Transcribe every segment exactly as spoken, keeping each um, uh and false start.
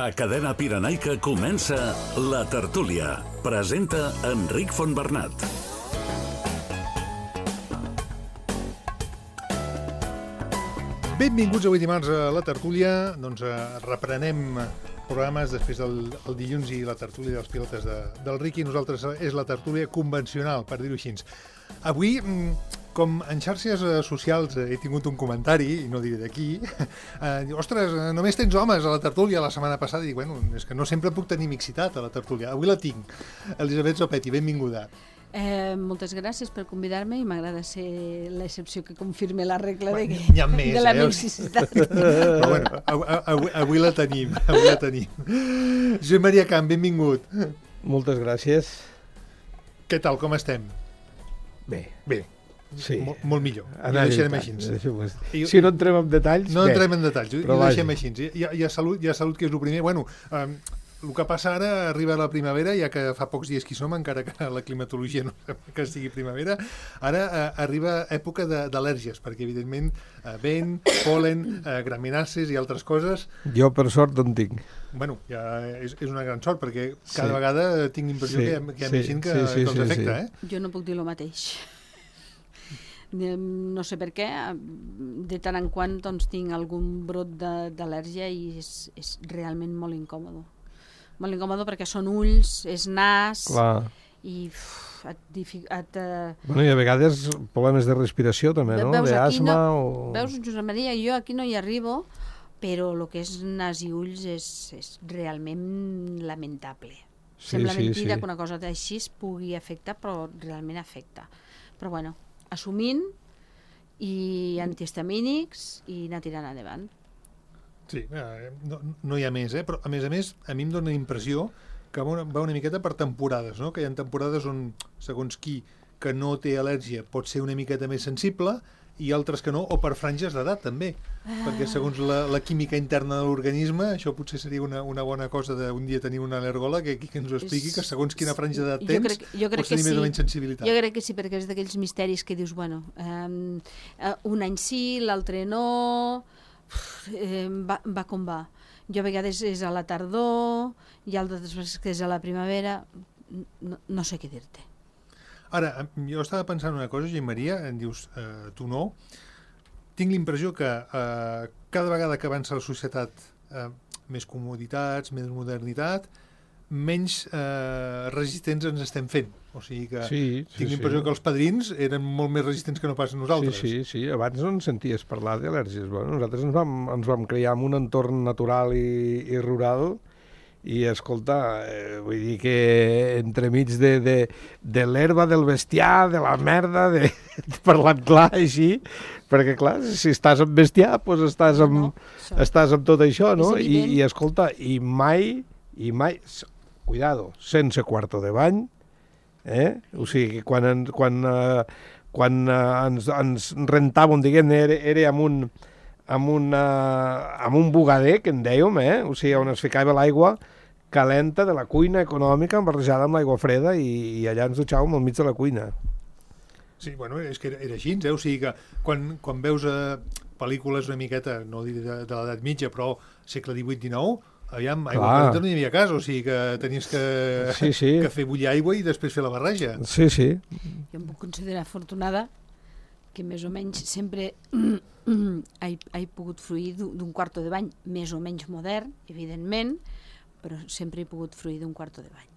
A Cadena Pirenaica comença La Tertúlia. Presenta Enric Fontbernat. Benvinguts avui dimarts a La Tertúlia. Doncs eh, reprenem programes després del el dilluns i la tertúlia dels pilotes de, del Riqui. Nosaltres és la tertúlia convencional, per dir-ho així. Avui, com en xarxes socials he tingut un comentari, i no diré d'aquí, eh, diu, ostres, només tens homes a la tertúlia la setmana passada. I dic, bueno, és que no sempre puc tenir mixitat a la tertúlia. Avui la tinc. Elisabet Zopetti, benvinguda. Eh, moltes gràcies per convidar-me i m'agrada ser l'excepció que confirme la regla de, bueno, n'hi ha més, de la eh? mixicitat. Però bueno, avui, avui la tenim, avui la tenim. Josep Maria Camp, benvingut. Moltes gràcies. Què tal, com estem? Bé. Bé. Sí. Mol, molt millor. I ho deixarem així. I, si no entrem en detalls, no bé. entrem en detalls, i ho deixem així. Hi ha, hi ha salut, hi ha salut, que és el primer. Bueno, eh, el que passa ara, arriba la primavera, ja que fa pocs dies que hi som, encara que la climatologia no sembla que sigui primavera, ara eh, arriba època d'al·lèrgies, perquè evidentment eh, vent, pol·len, eh, graminàcies i altres coses. Jo per sort no en tinc. Bueno, ja és, és una gran sort, perquè cada sí. vegada tinc impressió sí, que hi ha, que hi ha sí, més gent que, sí, sí, que els sí, afecta. sí. Eh? Jo no puc dir el mateix. No sé per què, de tant en quant doncs, tinc algun brot d'al·lèrgia i és, és realment molt incòmode. Molt incòmode perquè són ulls, és nas. Clar. I uf, et, et, uh... bueno, i a vegades problemes de respiració també, no? D'asma no, o... Veus, Josep Maria, jo aquí no hi arribo, però el que és nas i ulls és, és realment lamentable. Sí, Sembla sí, mentida sí. que una cosa d'així es pugui afectar, però realment afecta. Però bueno, assumint i antihistamínics i anar tirant endavant. Sí, no, no hi ha més, eh? Però a més a més, a mi em dóna la impressió que va una, va una miqueta per temporades, no? Que hi ha temporades on, segons qui que no té al·lèrgia pot ser una miqueta més sensible i altres que no, o per franges d'edat també, ah. perquè segons la, la química interna de l'organisme, això potser seria una, una bona cosa d'un dia tenir una al·lergòleg que, que ens ho expliqui, que segons quina franja d'edat tens, jo crec, jo crec pots tenir sí. més o menys sensibilitat. Jo crec que sí, perquè és d'aquells misteris que dius, bueno, um, un any sí, l'altre no... Eh, va, va com va. Jo a vegades és a la tardor i altres vegades que és a la primavera, no, no sé què dir-te. Ara, jo estava pensant una cosa, Josep Maria, em dius, eh, tu no, tinc l'impressió que eh, cada vegada que avança la societat eh, més comoditats, més modernitat, menys eh, resistents ens estem fent. O sigui que sí, sí, tinc l'impressió sí. que els padrins eren molt més resistents que no pas nosaltres. Sí, sí, sí. Abans no en senties parlar d'al·lèrgies. Bueno, nosaltres ens vam, ens vam crear en un entorn natural i, i rural i, escolta, eh, vull dir que entremig de, de, de l'herba, del bestiar, de la merda, de, de parlant clar així, perquè, clar, si estàs amb bestiar, doncs estàs amb, no, estàs amb tot això, no? I, i, escolta, i mai, i mai... Cuidado, sense quarto de bany, eh? O sigui, quan, en, quan, eh, quan eh, ens, ens rentàvem, diguem-ne, era, era amb un, amb, una, amb un bugader, que en dèiem, eh? O sigui, on es ficava l'aigua calenta de la cuina econòmica barrejada amb l'aigua freda i, i allà ens dutxàvem al mig de la cuina. Sí, bueno, és que era, era així, eh? O sigui que quan, quan veus eh, pel·lícules una miqueta, no diré de, de l'edat mitja, però segle divuit dinou, aviam, aigua calenta no hi havia cas, o sigui que tenies que, sí, sí. que fer bullir aigua i després fer la barreja. Sí, sí. Jo em puc considerar afortunada que més o menys sempre he, he pogut fruir d'un quarto de bany més o menys modern, evidentment, però sempre he pogut fruir d'un quarto de bany.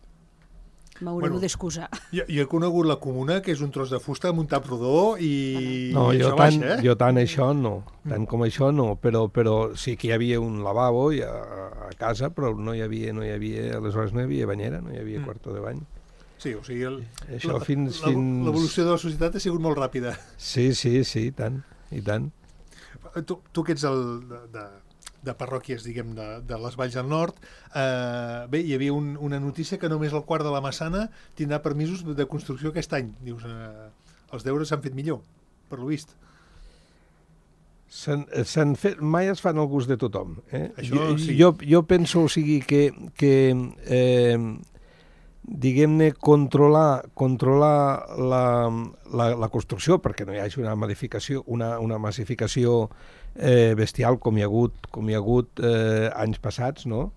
M'haureu bueno, d'excusar. Jo, jo he conegut la comuna, que és un tros de fusta amb un tap rodó i, no, i jo això tant, baixa, eh? Jo tant això no, tant com això no, però, però sí que hi havia un lavabo a, a casa, però no hi havia, no hi havia, aleshores no hi havia banyera, no hi havia mm. quarto de bany. Sí, o sigui, el, això la, fins, la, fins... l'evolució de la societat ha sigut molt ràpida. Sí, sí, sí, i tant, i tant. Tu, tu que ets el de, de, de parròquies, diguem, de, de les Valls del Nord, eh, bé, hi havia un, una notícia que només el quart de la Massana tindrà permisos de construcció aquest any. Dius, eh, els deures s'han fet millor, per lo vist. S'han fet, mai es fan al gust de tothom. Eh? Això, jo, sí. jo, jo penso, o sigui, que, que eh, diguem-ne, controlar, controlar la, la, la construcció, perquè no hi hagi una modificació, una, una massificació eh, bestial com hi ha hagut, com hi ha hagut eh, anys passats, no?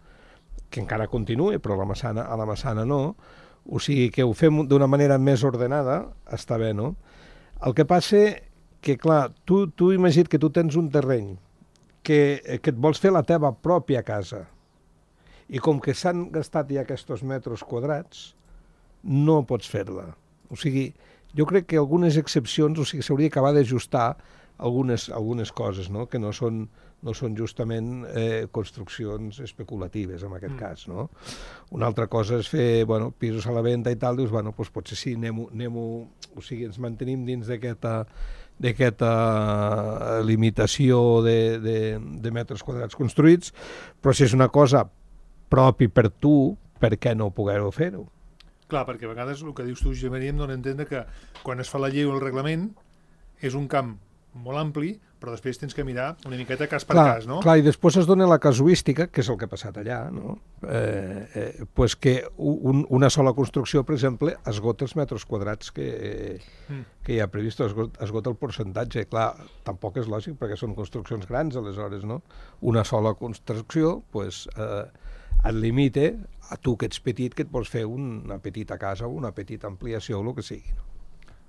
que encara continua, però a la Massana, a la Massana no, o sigui que ho fem d'una manera més ordenada, està bé, no? El que passa que, clar, tu, tu imagina't que tu tens un terreny que, que et vols fer la teva pròpia casa i com que s'han gastat ja aquests metres quadrats, no pots fer-la. O sigui, jo crec que algunes excepcions, o sigui, s'hauria d'acabar d'ajustar algunes, algunes coses, no? Que no són, no són justament eh, construccions especulatives, en aquest mm. cas, no? Una altra cosa és fer, bueno, pisos a la venda i tal, dius, bueno, doncs potser sí, anem-ho, anem-ho, o sigui, ens mantenim dins d'aquesta d'aquesta limitació de, de, de metres quadrats construïts, però si és una cosa propi per tu, per què no poder-ho fer-ho? Clar, perquè a vegades el que dius tu, Josep Maria, em dona a entendre que quan es fa la llei o el reglament és un camp molt ampli, però després tens que mirar una miqueta cas per clar, cas, no? Clar, i després es dona la casuística, que és el que ha passat allà, no? Eh, eh, pues que un, una sola construcció, per exemple, esgota els metres quadrats que, eh, mm. que hi ha previst, esgota, esgota el percentatge. Clar, tampoc és lògic, perquè són construccions grans, aleshores, no? Una sola construcció, pues, eh, et limita a tu que ets petit, que et vols fer una petita casa o una petita ampliació o el que sigui, no?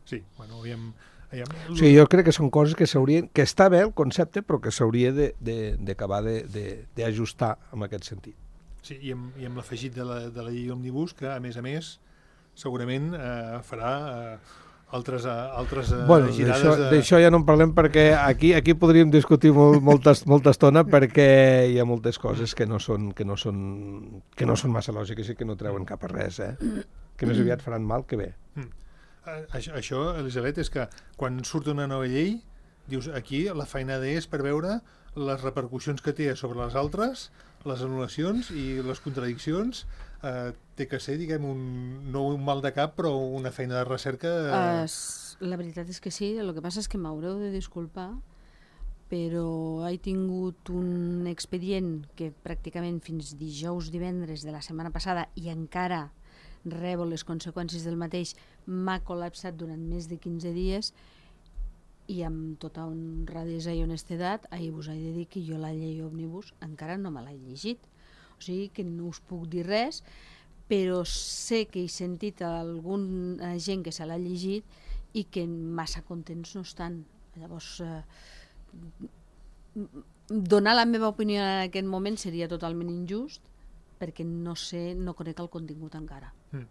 Sí, bueno, aviam... aviam... O sigui, jo crec que són coses que s'haurien... que està bé el concepte, però que s'hauria d'acabar d'ajustar en aquest sentit. Sí, i amb, i amb l'afegit de, la, de la llei Òmnibus, que, a més a més, segurament eh, farà eh, altres, eh, altres eh, bueno, girades... D'això de... ja no en parlem, perquè aquí aquí podríem discutir molt, molta, molta estona, perquè hi ha moltes coses que no són, que no són, que no són massa lògiques i que no treuen cap a res, eh? Que més aviat faran mal que bé. Mm. Això, això, Elisabet, és que quan surt una nova llei, dius, aquí la feinada és per veure les repercussions que té sobre les altres, les anul·lacions i les contradiccions. Eh, té que ser, diguem, un, no un mal de cap, però una feina de recerca... Eh... Uh, la veritat és que sí, el que passa és que m'haureu de disculpar, però he tingut un expedient que pràcticament fins dijous, divendres de la setmana passada i encara rebo les conseqüències del mateix, m'ha col·lapsat durant més de quinze dies i amb tota honradesa i honestedat ahir vos he de dir que jo la llei Òmnibus encara no me l'he llegit, o sigui que no us puc dir res, però sé que he sentit alguna gent que se l'ha llegit i que massa contents no estan. Llavors eh, donar la meva opinió en aquest moment seria totalment injust, perquè no sé, no conec el contingut encara. Mm.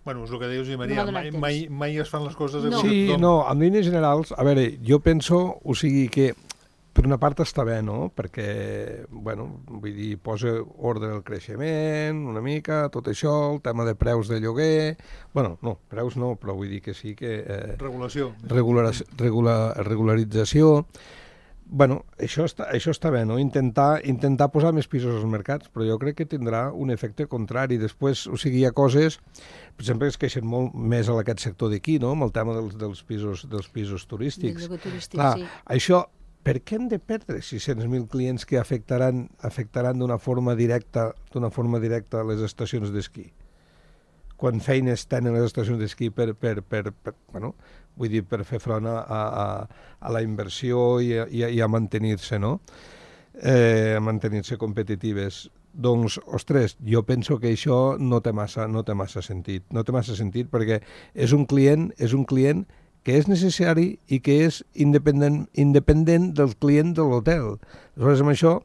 Bueno, és el que deies, Maria, no mai, mai, mai es fan les coses... No. Sí, no, en línies generals, a veure, jo penso, o sigui que per una part està bé, no?, perquè, bueno, vull dir, posa ordre al creixement, una mica, tot això, el tema de preus de lloguer... Bueno, no, preus no, però vull dir que sí que... Eh, regulació. Regular, regular, regularització... Bueno, això està, això està bé, no? Intentar, intentar posar més pisos als mercats, però jo crec que tindrà un efecte contrari. Després, o sigui, hi ha coses, per exemple, es queixen molt més a aquest sector d'aquí, no?, amb el tema dels, dels, pisos, dels pisos turístics. Del lloguer turístic, clar, sí. Això, per què hem de perdre sis-cents mil clients que afectaran, afectaran d'una forma directa, d'una forma directa les estacions d'esquí? Quan feines tenen les estacions d'esquí per, per, per, per, bueno, vull dir, per fer front a, a, a la inversió i a, i a, i a mantenir-se, no? Eh, a mantenir-se competitives. Doncs, ostres, jo penso que això no té massa, no té massa sentit. No té massa sentit perquè és un client, és un client que és necessari i que és independent, independent del client de l'hotel. Aleshores, amb això,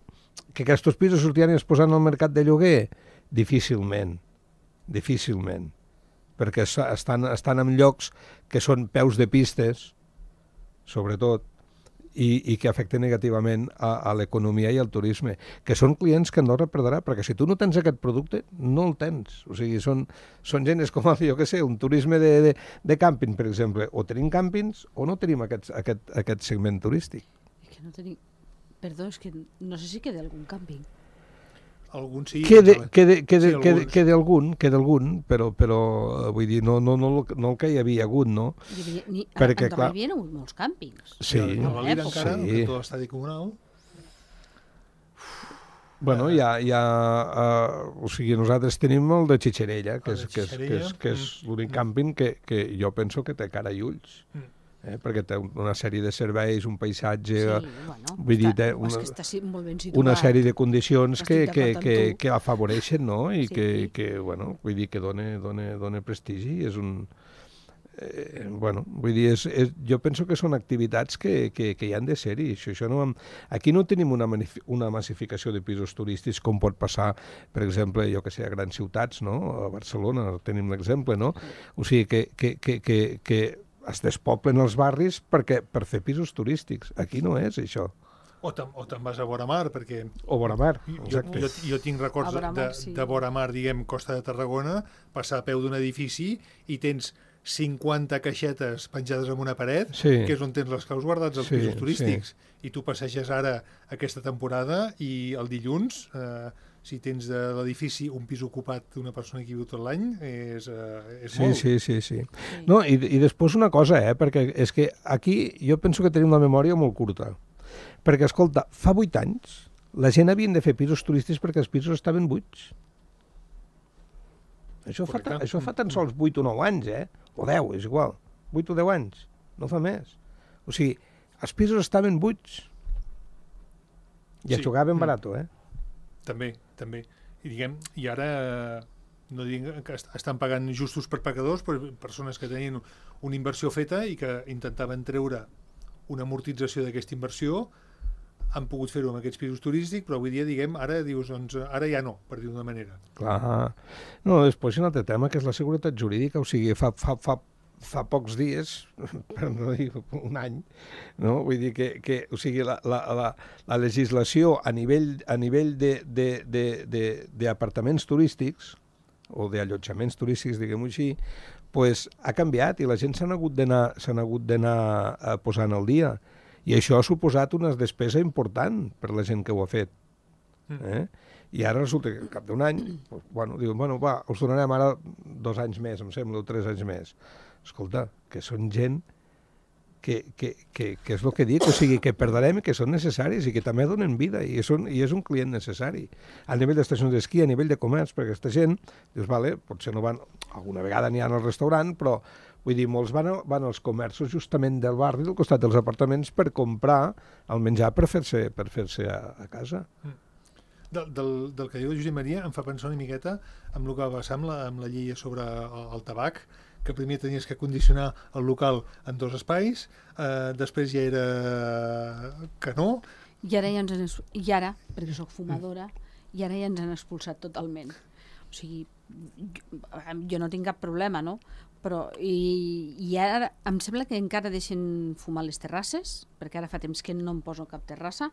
que aquests pisos sortiran i es posaran al mercat de lloguer? Difícilment. Difícilment, perquè estan, estan en llocs que són peus de pistes, sobretot, i, i que afecten negativament a, a l'economia i al turisme, que són clients que no reperdrà, perquè si tu no tens aquest producte, no el tens. O sigui, són, són gent, és com, jo què sé, un turisme de, de, de càmping, per exemple. O tenim càmpings o no tenim aquest, aquest, aquest segment turístic. És que no tenim... Perdó, és que no sé si queda algun càmping. Algun sí, quede, quede, quede, sí, quede, quede algun, quede algun, però, però vull dir, no, no, no, no el que hi havia hagut, no? Hi havia, ni, perquè, a Andorra hi havia hagut molts càmpings. Sí. I a Valira encara, sí. que tot l'estadi comunal... Bueno, hi ha, hi ha uh, o sigui, nosaltres tenim el de Xixerella, que és, que és, que és, que és l'únic càmping que, que jo penso que té cara i ulls. Mm. eh? Perquè té una sèrie de serveis, un paisatge... Sí, bueno, vull dir, té una, una, que està molt ben situat. una sèrie de condicions que, Estic que, d'acord amb que, tu. que afavoreixen, no? I Sí. que, que, bueno, vull dir, que dona, dona, dona prestigi. És un... Eh, bueno, vull dir, és, és, jo penso que són activitats que, que, que hi han de ser-hi. Això, això no, aquí no tenim una, una massificació de pisos turístics com pot passar, per exemple, jo que sé, a grans ciutats, no? A Barcelona tenim l'exemple, no? O sigui, que, que, que, que, que es despoblen els barris perquè, per fer pisos turístics. Aquí no és això. O te'n, o te'n vas a vora mar, perquè... O vora mar, Jo, exacte. jo, jo tinc records A vora mar, de, sí. de vora mar, diguem, Costa de Tarragona, passar a peu d'un edifici i tens cinquanta caixetes penjades en una paret, Sí. que és on tens les claus guardats als Sí, pisos turístics. I tu passeges ara aquesta temporada i el dilluns, eh, si tens de l'edifici un pis ocupat d'una persona que viu tot l'any, és, eh, és Sí, molt. sí, sí, sí. No, i, i després una cosa, eh, perquè és que aquí jo penso que tenim la memòria molt curta. Perquè, escolta, fa vuit anys la gent havien de fer pisos turístics perquè els pisos estaven buits. Això fa, ta, Correcte. això fa tan sols vuit o nou anys, eh? O deu, és igual. vuit o deu anys, no fa més. O sigui, els pisos estaven buits. I es Sí. jugaven Mm. barat, eh? També, també. I diguem, i ara eh, no diguem que est- estan pagant justos per pecadors, però persones que tenien una inversió feta i que intentaven treure una amortització d'aquesta inversió, han pogut fer-ho amb aquests pisos turístics, però avui dia, diguem, ara dius, doncs, ara ja no, per dir-ho d'una manera. Clar. No, després hi ha un altre tema, que és la seguretat jurídica. O sigui, fa, fa, fa, fa pocs dies, per no dir un any, no? Vull dir que, que o sigui, la, la, la, la legislació a nivell, a nivell de, de, de, de, d'apartaments turístics, o d'allotjaments turístics, diguem-ho així, pues, ha canviat i la gent s'han hagut d'anar s'han hagut d'anar eh, posant al dia. I això ha suposat una despesa important per la gent que ho ha fet. Eh? I ara resulta que al cap d'un any, pues, bueno, diuen, bueno, va, us donarem ara dos anys més, em sembla, o tres anys més. Escolta, que són gent que, que, que, que és el que dic, o sigui, que perdrem i que són necessaris i que també donen vida i, són, i és un client necessari. A nivell d'estacions d'esquí, a nivell de comerç, perquè aquesta gent, dius, vale, potser no van, alguna vegada n'hi ha al restaurant, però vull dir, molts van, a, van als comerços justament del barri, del costat dels apartaments, per comprar el menjar per fer-se per fer-se a, a casa. Del, del, del que diu el Josep Maria em fa pensar una miqueta amb el que va passar amb la, amb la llei sobre el, el tabac, que primer tenies que condicionar el local en dos espais, eh, després ja era que no. I ara, ja ens han, es- I ara, perquè sóc fumadora, i ara ja ens han expulsat totalment. O sigui, jo, jo no tinc cap problema, no? Però, i, i ara em sembla que encara deixen fumar les terrasses, perquè ara fa temps que no em poso cap terrassa,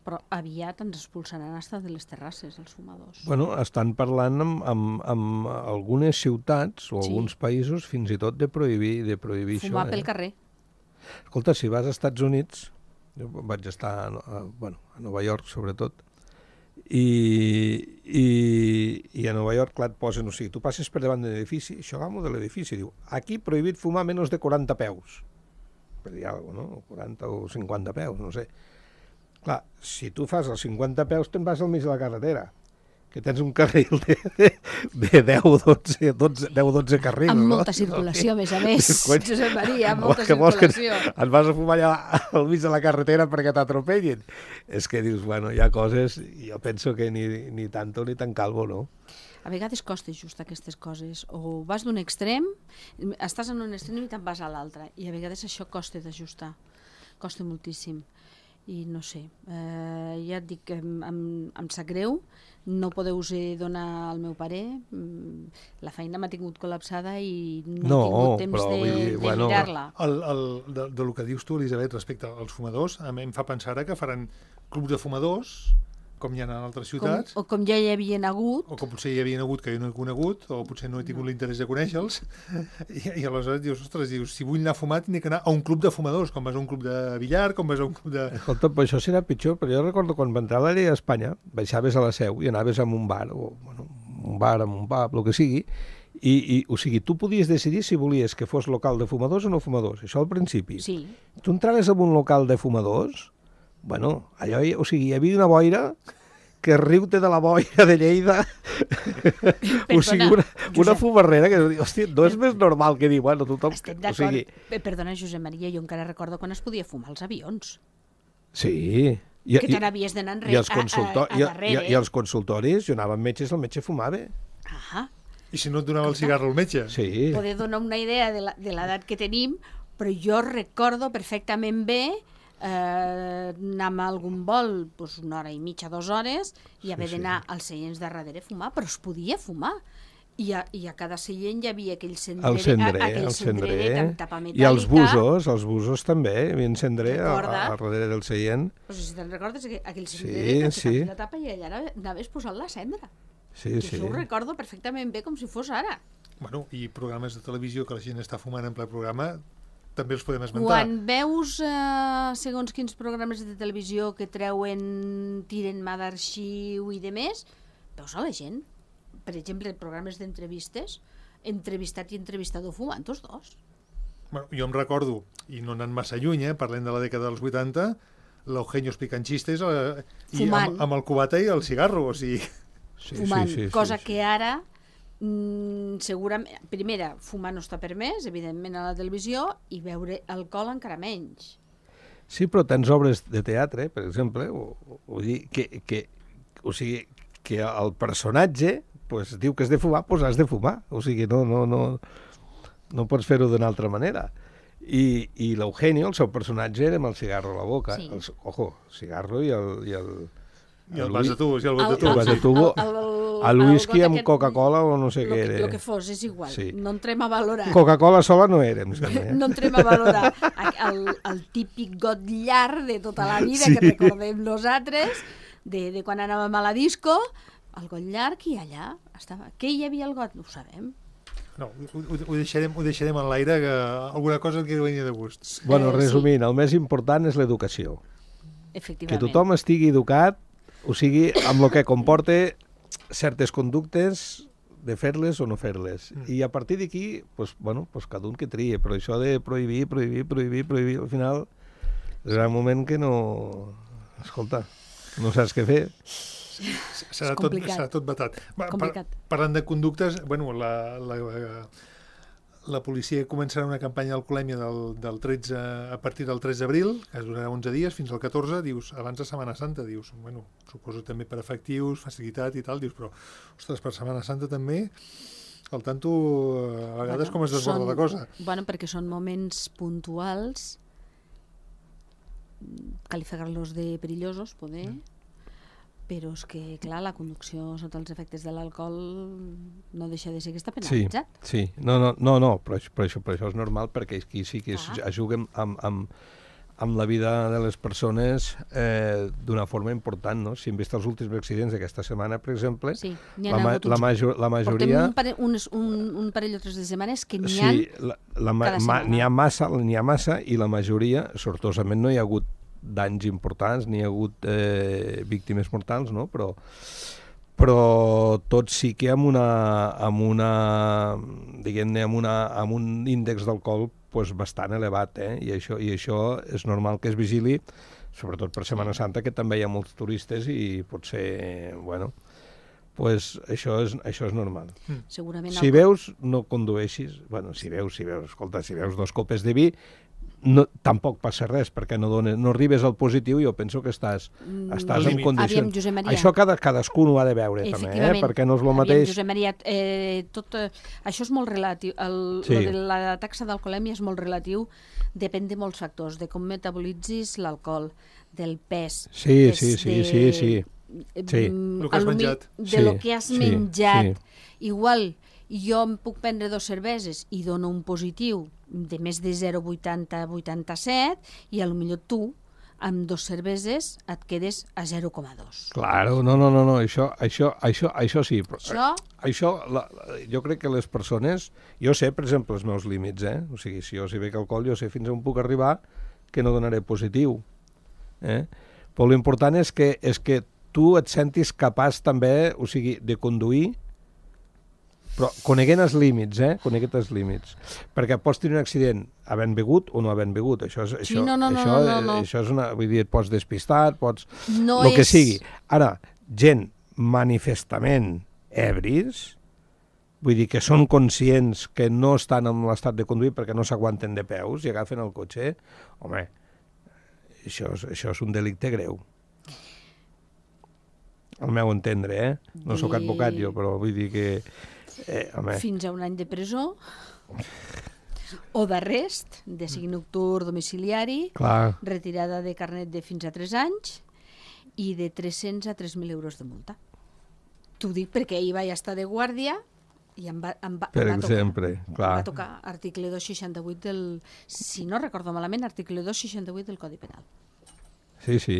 però aviat ens expulsaran hasta de les terrasses, els fumadors. Bueno, estan parlant amb, amb, amb algunes ciutats o Sí. alguns països fins i tot de prohibir, de prohibir Fumar això. pel Eh? carrer. Escolta, si vas als Estats Units, jo vaig estar a, a, bueno, a Nova York, sobretot, i, i, i a Nova York, clar, et posen, o sigui, tu passes per davant de l'edifici, això agamo de l'edifici, diu, aquí prohibit fumar menys de quaranta peus, per dir alguna cosa, no? quaranta o cinquanta peus, no sé. Clar, si tu fas els cinquanta peus, te'n vas al mig de la carretera, que tens un carril de, de, de deu o dotze, dotze, deu o dotze carrils. Amb no? molta circulació, a més a més. Coi, Josep Maria, amb home, molta que vols que circulació. et vas a fumar allà al mig de la carretera perquè t'atropellin. És que dius, bueno, hi ha coses, jo penso que ni, ni tanto ni tan calvo, no? A vegades costa just aquestes coses. O vas d'un extrem, estàs en un extrem i te'n vas a l'altre. I a vegades això costa d'ajustar. Costa moltíssim. I no sé, eh, ja et dic que em, em, em sap greu, no podeu donar el meu parer, mm, la feina m'ha tingut col·lapsada i no, No, he tingut temps però de, vull dir, de bueno, mirar-la. El, el, de, de lo que dius tu, Elisabet, respecte als fumadors, a mi em fa pensar ara que faran clubs de fumadors, com hi ha en altres Com, ciutats, o com ja hi havien hagut, o com potser hi havia hagut que jo no he conegut, o potser no he tingut l'interès de conèixer-los, i, i aleshores dius, ostres, dius, si vull anar a fumar, tinc que anar a un club de fumadors, com vas a un club de billar, com vas a un club de... Escolta, però això serà pitjor, però jo recordo quan va entrar la llei a Espanya, baixaves a la Seu i anaves a un bar, o bueno, un bar, a un pub, el que sigui, i, i o sigui, tu podies decidir si volies que fos local de fumadors o no fumadors, això al principi. sí, Tu entraves en un local de fumadors, bueno, allò, hi- o sigui, hi havia una boira que riu-te de la boira de Lleida, o sigui, una, una fumarrera que, hòstia, no és més normal que dir, bueno, tothom... Estic d'acord. O sigui... Perdona, Josep Maria, jo encara recordo quan es podia fumar als avions. Sí. I, que te n'havies d'anar enrere, i els consultor, a, a, a darrere. I, i, I els consultoris, jo anava amb metges, el metge fumava. Ah. I si no et donava el cigarro al metge? Sí. Poder donar una idea de l'edat que tenim, però jo recordo perfectament bé eh, anar a algun vol doncs una hora i mitja, dues hores, i haver sí, d'anar sí. als seients de darrere a fumar, però es podia fumar. I a, i a cada seient hi havia aquell cendrer, el cendrer, aquell el cendrer amb tapa metàl·lica. I els busos, els busos també, hi havia cendrer a, a darrere del seient. Pues si te'n recordes, aquell cendrer sí, que sí. la tapa i allà anaves posant la cendra. Sí, I sí. això ho recordo perfectament bé, com si fos ara. Bueno, i programes de televisió que la gent està fumant en ple programa, també els podem esmentar. Quan veus eh, segons quins programes de televisió que treuen, tiren mà d'arxiu i de més, veus a la gent. Per exemple, programes d'entrevistes, entrevistat i entrevistador fumant tots dos. Bueno, jo em recordo, i no anant massa lluny, eh, parlem de la dècada dels vuitanta, l'Eugenio explicant xistes eh, i amb, amb el cubata i el cigarro, o sigui... Sí, fumant, sí, sí, cosa sí, sí. que ara mm, segurament, primera, fumar no està permès, evidentment, a la televisió, i beure alcohol encara menys. Sí, però tens obres de teatre, per exemple, o, o dir que, que, o sigui, que el personatge pues, diu que has de fumar, doncs has de fumar. O sigui, no, no, no, no pots fer-ho d'una altra manera. I, i l'Eugenio, el seu personatge, era amb el cigarro a la boca. Sí. El, ojo, cigarro i el... I el, I el vas de tubos, i el vas de tubos. El vas de tubo, el whisky amb Coca-Cola o no sé què era. El que fos, és igual. Sí. No entrem a valorar. Coca-Cola sola no érem. Eh? No entrem a valorar el, el típic got llarg de tota la vida, sí. que recordem nosaltres, de, de quan anàvem a la disco, el got llarg, i allà estava. Què hi havia al got? No ho sabem. No, ho, ho, ho, deixarem, ho deixarem en l'aire, que alguna cosa que venia de gust. Bueno, eh, resumint, sí. El més important és l'educació. Efectivament. Que tothom estigui educat, o sigui, amb el que comporta certes conductes de fer-les o no fer-les. Mm. I a partir d'aquí, pues, bueno, pues cada un que trie, però això de prohibir, prohibir, prohibir, prohibir, al final és un moment que no... Escolta, no saps què fer. Serà tot, serà tot vetat. Complicat. Par parlant de conductes, bueno, la, la, la policia començarà una campanya d'alcoholèmia del, del tretze, a partir del tres d'abril, que durarà onze dies, fins al catorze, dius, abans de Setmana Santa, dius, bueno, suposo també per efectius, facilitat i tal, dius, però, ostres, per Setmana Santa també, al tanto, a vegades bueno, com es desborda són, la cosa. Bueno, perquè són moments puntuals, calificar-los de perillosos, poder... Mm. Però és que, clar, la conducció sota els efectes de l'alcohol no deixa de ser que està penalitzat. Sí, sí. No, no, no, no però, però, això, però això és normal, perquè aquí sí que es, es juguen amb, amb, amb la vida de les persones eh, d'una forma important, no? Si hem vist els últims accidents d'aquesta setmana, per exemple, sí, la, ma la, major, la majoria... Portem un parell, un, un, un parell o tres de setmanes que n'hi sí, ha la, la, cada setmana. N'hi ha massa, n'hi ha massa, i la majoria, sortosament, no hi ha hagut danys importants, n'hi ha hagut eh, víctimes mortals, no? Però, però tot sí que amb una, amb una diguem-ne, amb, una, amb un índex d'alcohol pues, bastant elevat, eh? I, això, i això és normal que es vigili, sobretot per Setmana Santa, que també hi ha molts turistes i potser, bueno, pues això és, això és normal. Mm. Segurament si veus, no condueixis, bueno, si veus, si veus, escolta, si veus dos copes de vi, no, tampoc passa res, perquè no, dones, no arribes al positiu i jo penso que estàs, mm, estàs en condicions. Aviam, això cada, cadascú ho ha de veure, també, eh? Perquè no és el mateix... Aviam, Josep Maria, eh, tot, eh, això és molt relatiu. El, sí. de la taxa d'alcoholèmia és molt relatiu, depèn de molts factors, de com metabolitzis l'alcohol, del pes... Sí, des, sí, sí, de, sí, sí. sí. El que has menjat. De sí, lo que has sí, menjat. Sí. Igual, jo em puc prendre dos cerveses i dono un positiu de més de zero coma vuitanta a vuitanta-set i a lo millor tu amb dos cerveses et quedes a zero coma dos. Claro, no, no, no, no. Això, això, això, això sí. Això, això la, jo crec que les persones... Jo sé, per exemple, els meus límits, eh? O sigui, si jo si bec alcohol, jo sé fins on puc arribar que no donaré positiu. Eh? Però l'important és que, és que tu et sentis capaç també, o sigui, de conduir, però coneguent els límits, eh? Coneguent els límits. Perquè pots tenir un accident havent begut o no havent begut. Això és, això, sí, no, no, això, no, no, no. això és una... Vull dir, et pots despistar, pots... No el és... que sigui. Ara, gent manifestament ebris, vull dir que són conscients que no estan en l'estat de conduir perquè no s'aguanten de peus i agafen el cotxe, home, això és, això és un delicte greu. Al meu entendre, eh? No de... sóc advocat jo, però vull dir que... Eh, home. Fins a un any de presó o d'arrest, de signe nocturn domiciliari, Clar. retirada de carnet de fins a tres anys i de tres-cents a tres mil euros de multa. T'ho dic perquè ahir vaig estar de guàrdia i em va, em va, per em va exemple, tocar, clar. em va tocar article dos seixanta-vuit del, si no recordo malament, article dos seixanta-vuit del Codi Penal. Sí, sí.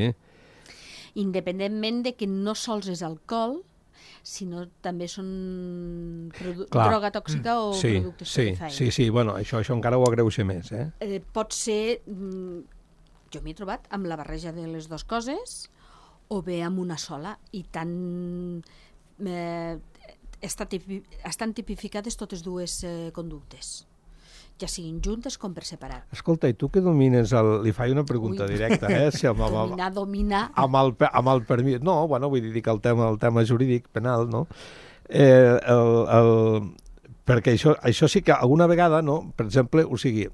Independentment de que no sols és alcohol, sinó també són Clar. droga tòxica o sí, productes sí, estupefaents. sí, sí, bueno, això, això encara ho agreuja més, eh? Eh, pot ser, mm, jo m'he trobat amb la barreja de les dues coses o bé amb una sola i tan eh, està tipi, estan tipificades totes dues eh, conductes, ja siguin juntes com per separat. Escolta, i tu que domines el... Li faig una pregunta Ui. directa, eh? Si amb, amb, Dominar, dominar... amb, el, amb el permís... No, bueno, vull dir que el tema, el tema jurídic, penal, no? Eh, el, el, perquè això, això sí que alguna vegada, no? Per exemple, o sigui,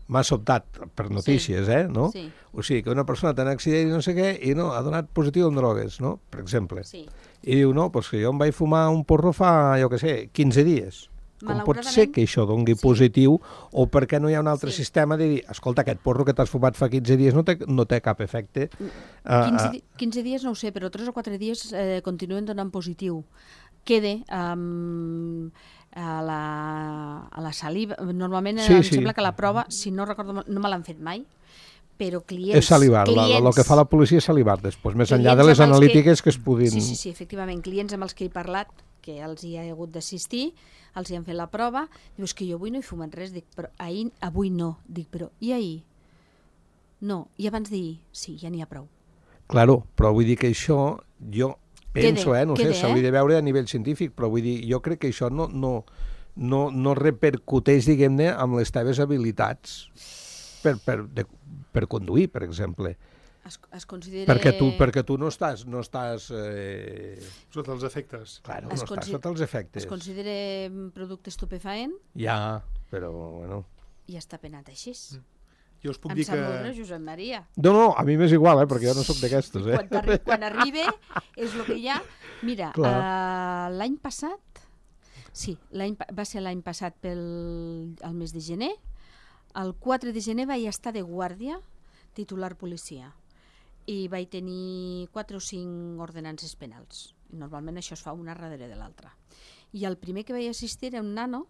m'ha sobtat per notícies, sí. eh? No? Sí. O sigui, que una persona té un accident i no sé què, i no, ha donat positiu en drogues, no? Per exemple. Sí. I diu, no, doncs que jo em vaig fumar un porro fa, jo què sé, quinze dies. Com pot ser que això dongui sí. positiu o perquè no hi ha un altre sí. sistema de dir, escolta, aquest porro que t'has fumat fa quinze dies no té, no té cap efecte? quinze, quinze dies no ho sé, però tres o quatre dies eh, continuen donant positiu. Quede um, a, la, a la saliva. Normalment sí, em sí. sembla que la prova, si no recordo, no me l'han fet mai, però clients... És salivar, clients, el que fa la policia és salivar després, més enllà de les analítiques que, que es puguin... Sí, sí, sí, efectivament, clients amb els que he parlat, que els hi ha hagut d'assistir, els hi han fet la prova, dius que jo avui no he fumat res, dic, però ahir, avui no, dic, però i ahir? No, i abans d'ahir? Sí, ja n'hi ha prou. Claro, però vull dir que això, jo penso, quede, eh, no quede, sé, s'hauria eh? de veure a nivell científic, però vull dir, jo crec que això no, no, no, no repercuteix, diguem-ne, amb les teves habilitats per, per, de, per conduir, per exemple. Es, es considera... Perquè tu, perquè tu no estàs... No estàs eh... Sota els efectes. Claro, es no estàs sota els efectes. Es considera producte estupefaent? Ja, però, bueno... I està penat així. Mm. Jo us puc em dir sap que... molt greu, Josep Maria. No, no, a mi m'és igual, eh, perquè jo no sóc d'aquestos, eh? Quan, arri quan arriba és el que hi ha. Mira, uh, l'any passat, sí, va ser l'any passat pel el mes de gener, el quatre de gener vaig estar de guàrdia titular policia i vaig tenir quatre o cinc ordenances penals. Normalment això es fa una darrere de l'altra. I el primer que vaig assistir era un nano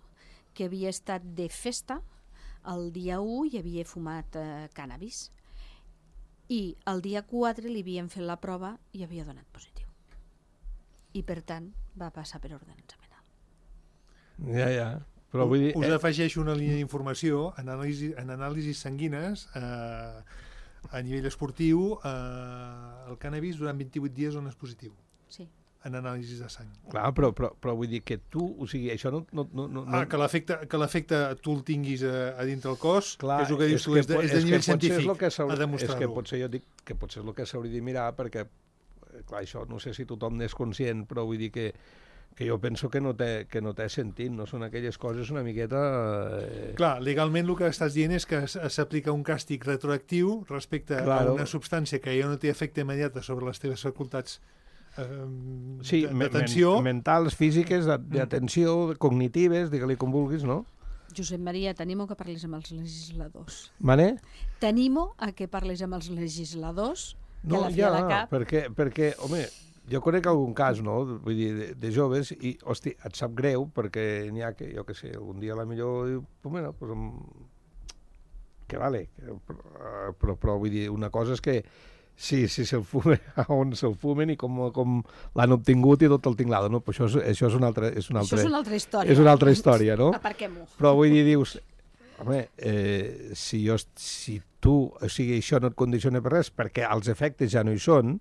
que havia estat de festa el dia u i havia fumat eh, cànnabis. I el dia quatre li havien fet la prova i havia donat positiu. I per tant va passar per ordenança penal. Ja, ja. Però vull dir... Us afegeixo una línia d'informació en anàlisis, en anàlisis sanguines eh, a nivell esportiu eh, el cànnabis durant vint-i-vuit dies on és positiu. Sí. En anàlisis de sang. Clar, però, però, però vull dir que tu, o sigui, això no... no, no, no ah, que l'efecte que l'efecte tu el tinguis a, a dintre el cos, clar, és el que dius és tu, que és de, és de nivell científic a demostrar-ho. És que potser jo dic que potser és el que s'hauria de mirar, perquè, clar, això no sé si tothom n'és conscient, però vull dir que que jo penso que no té, que no té sentit, no són aquelles coses una miqueta... Eh... Clar, legalment el que estàs dient és que s'aplica un càstig retroactiu respecte claro. a una substància que ja no té efecte immediat sobre les teves facultats eh, sí, d'atenció. Men mentals, físiques, d'atenció, cognitives, digue-li com vulguis, no? Josep Maria, t'animo que parlis amb els legisladors. Mane? T'animo a que parlis amb els legisladors, que no, a la fi ja, a la cap... perquè, perquè, home... Jo conec algun cas, no?, vull dir, de, de joves, i, hosti, et sap greu, perquè n'hi ha que, jo què sé, algun dia a la millor, pues, bueno, pues, que vale, però, però, però vull dir, una cosa és que sí, sí se'l fumen, on se'l fumen i com, com l'han obtingut i tot el tinglado, no? Però això és, això és una altra... És una altra, això és una altra història. És una altra història, no? Aparquem-ho. Però vull dir, dius, home, eh, si, jo, si tu, o sigui, això no et condiciona per res, perquè els efectes ja no hi són,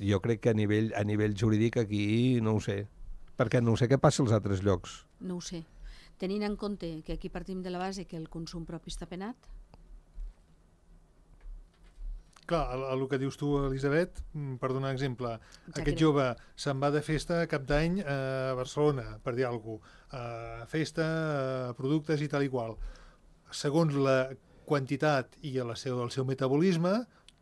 jo crec que a nivell, a nivell jurídic aquí no ho sé, perquè no sé què passa als altres llocs. No ho sé. Tenint en compte que aquí partim de la base que el consum propi està penat. Clar, el, el que dius tu, Elisabet, per donar exemple, Exacte. aquest jove se'n va de festa cap d'any a Barcelona, per dir alguna cosa, a festa, a productes i tal i qual. Segons la quantitat i el seu, el seu metabolisme,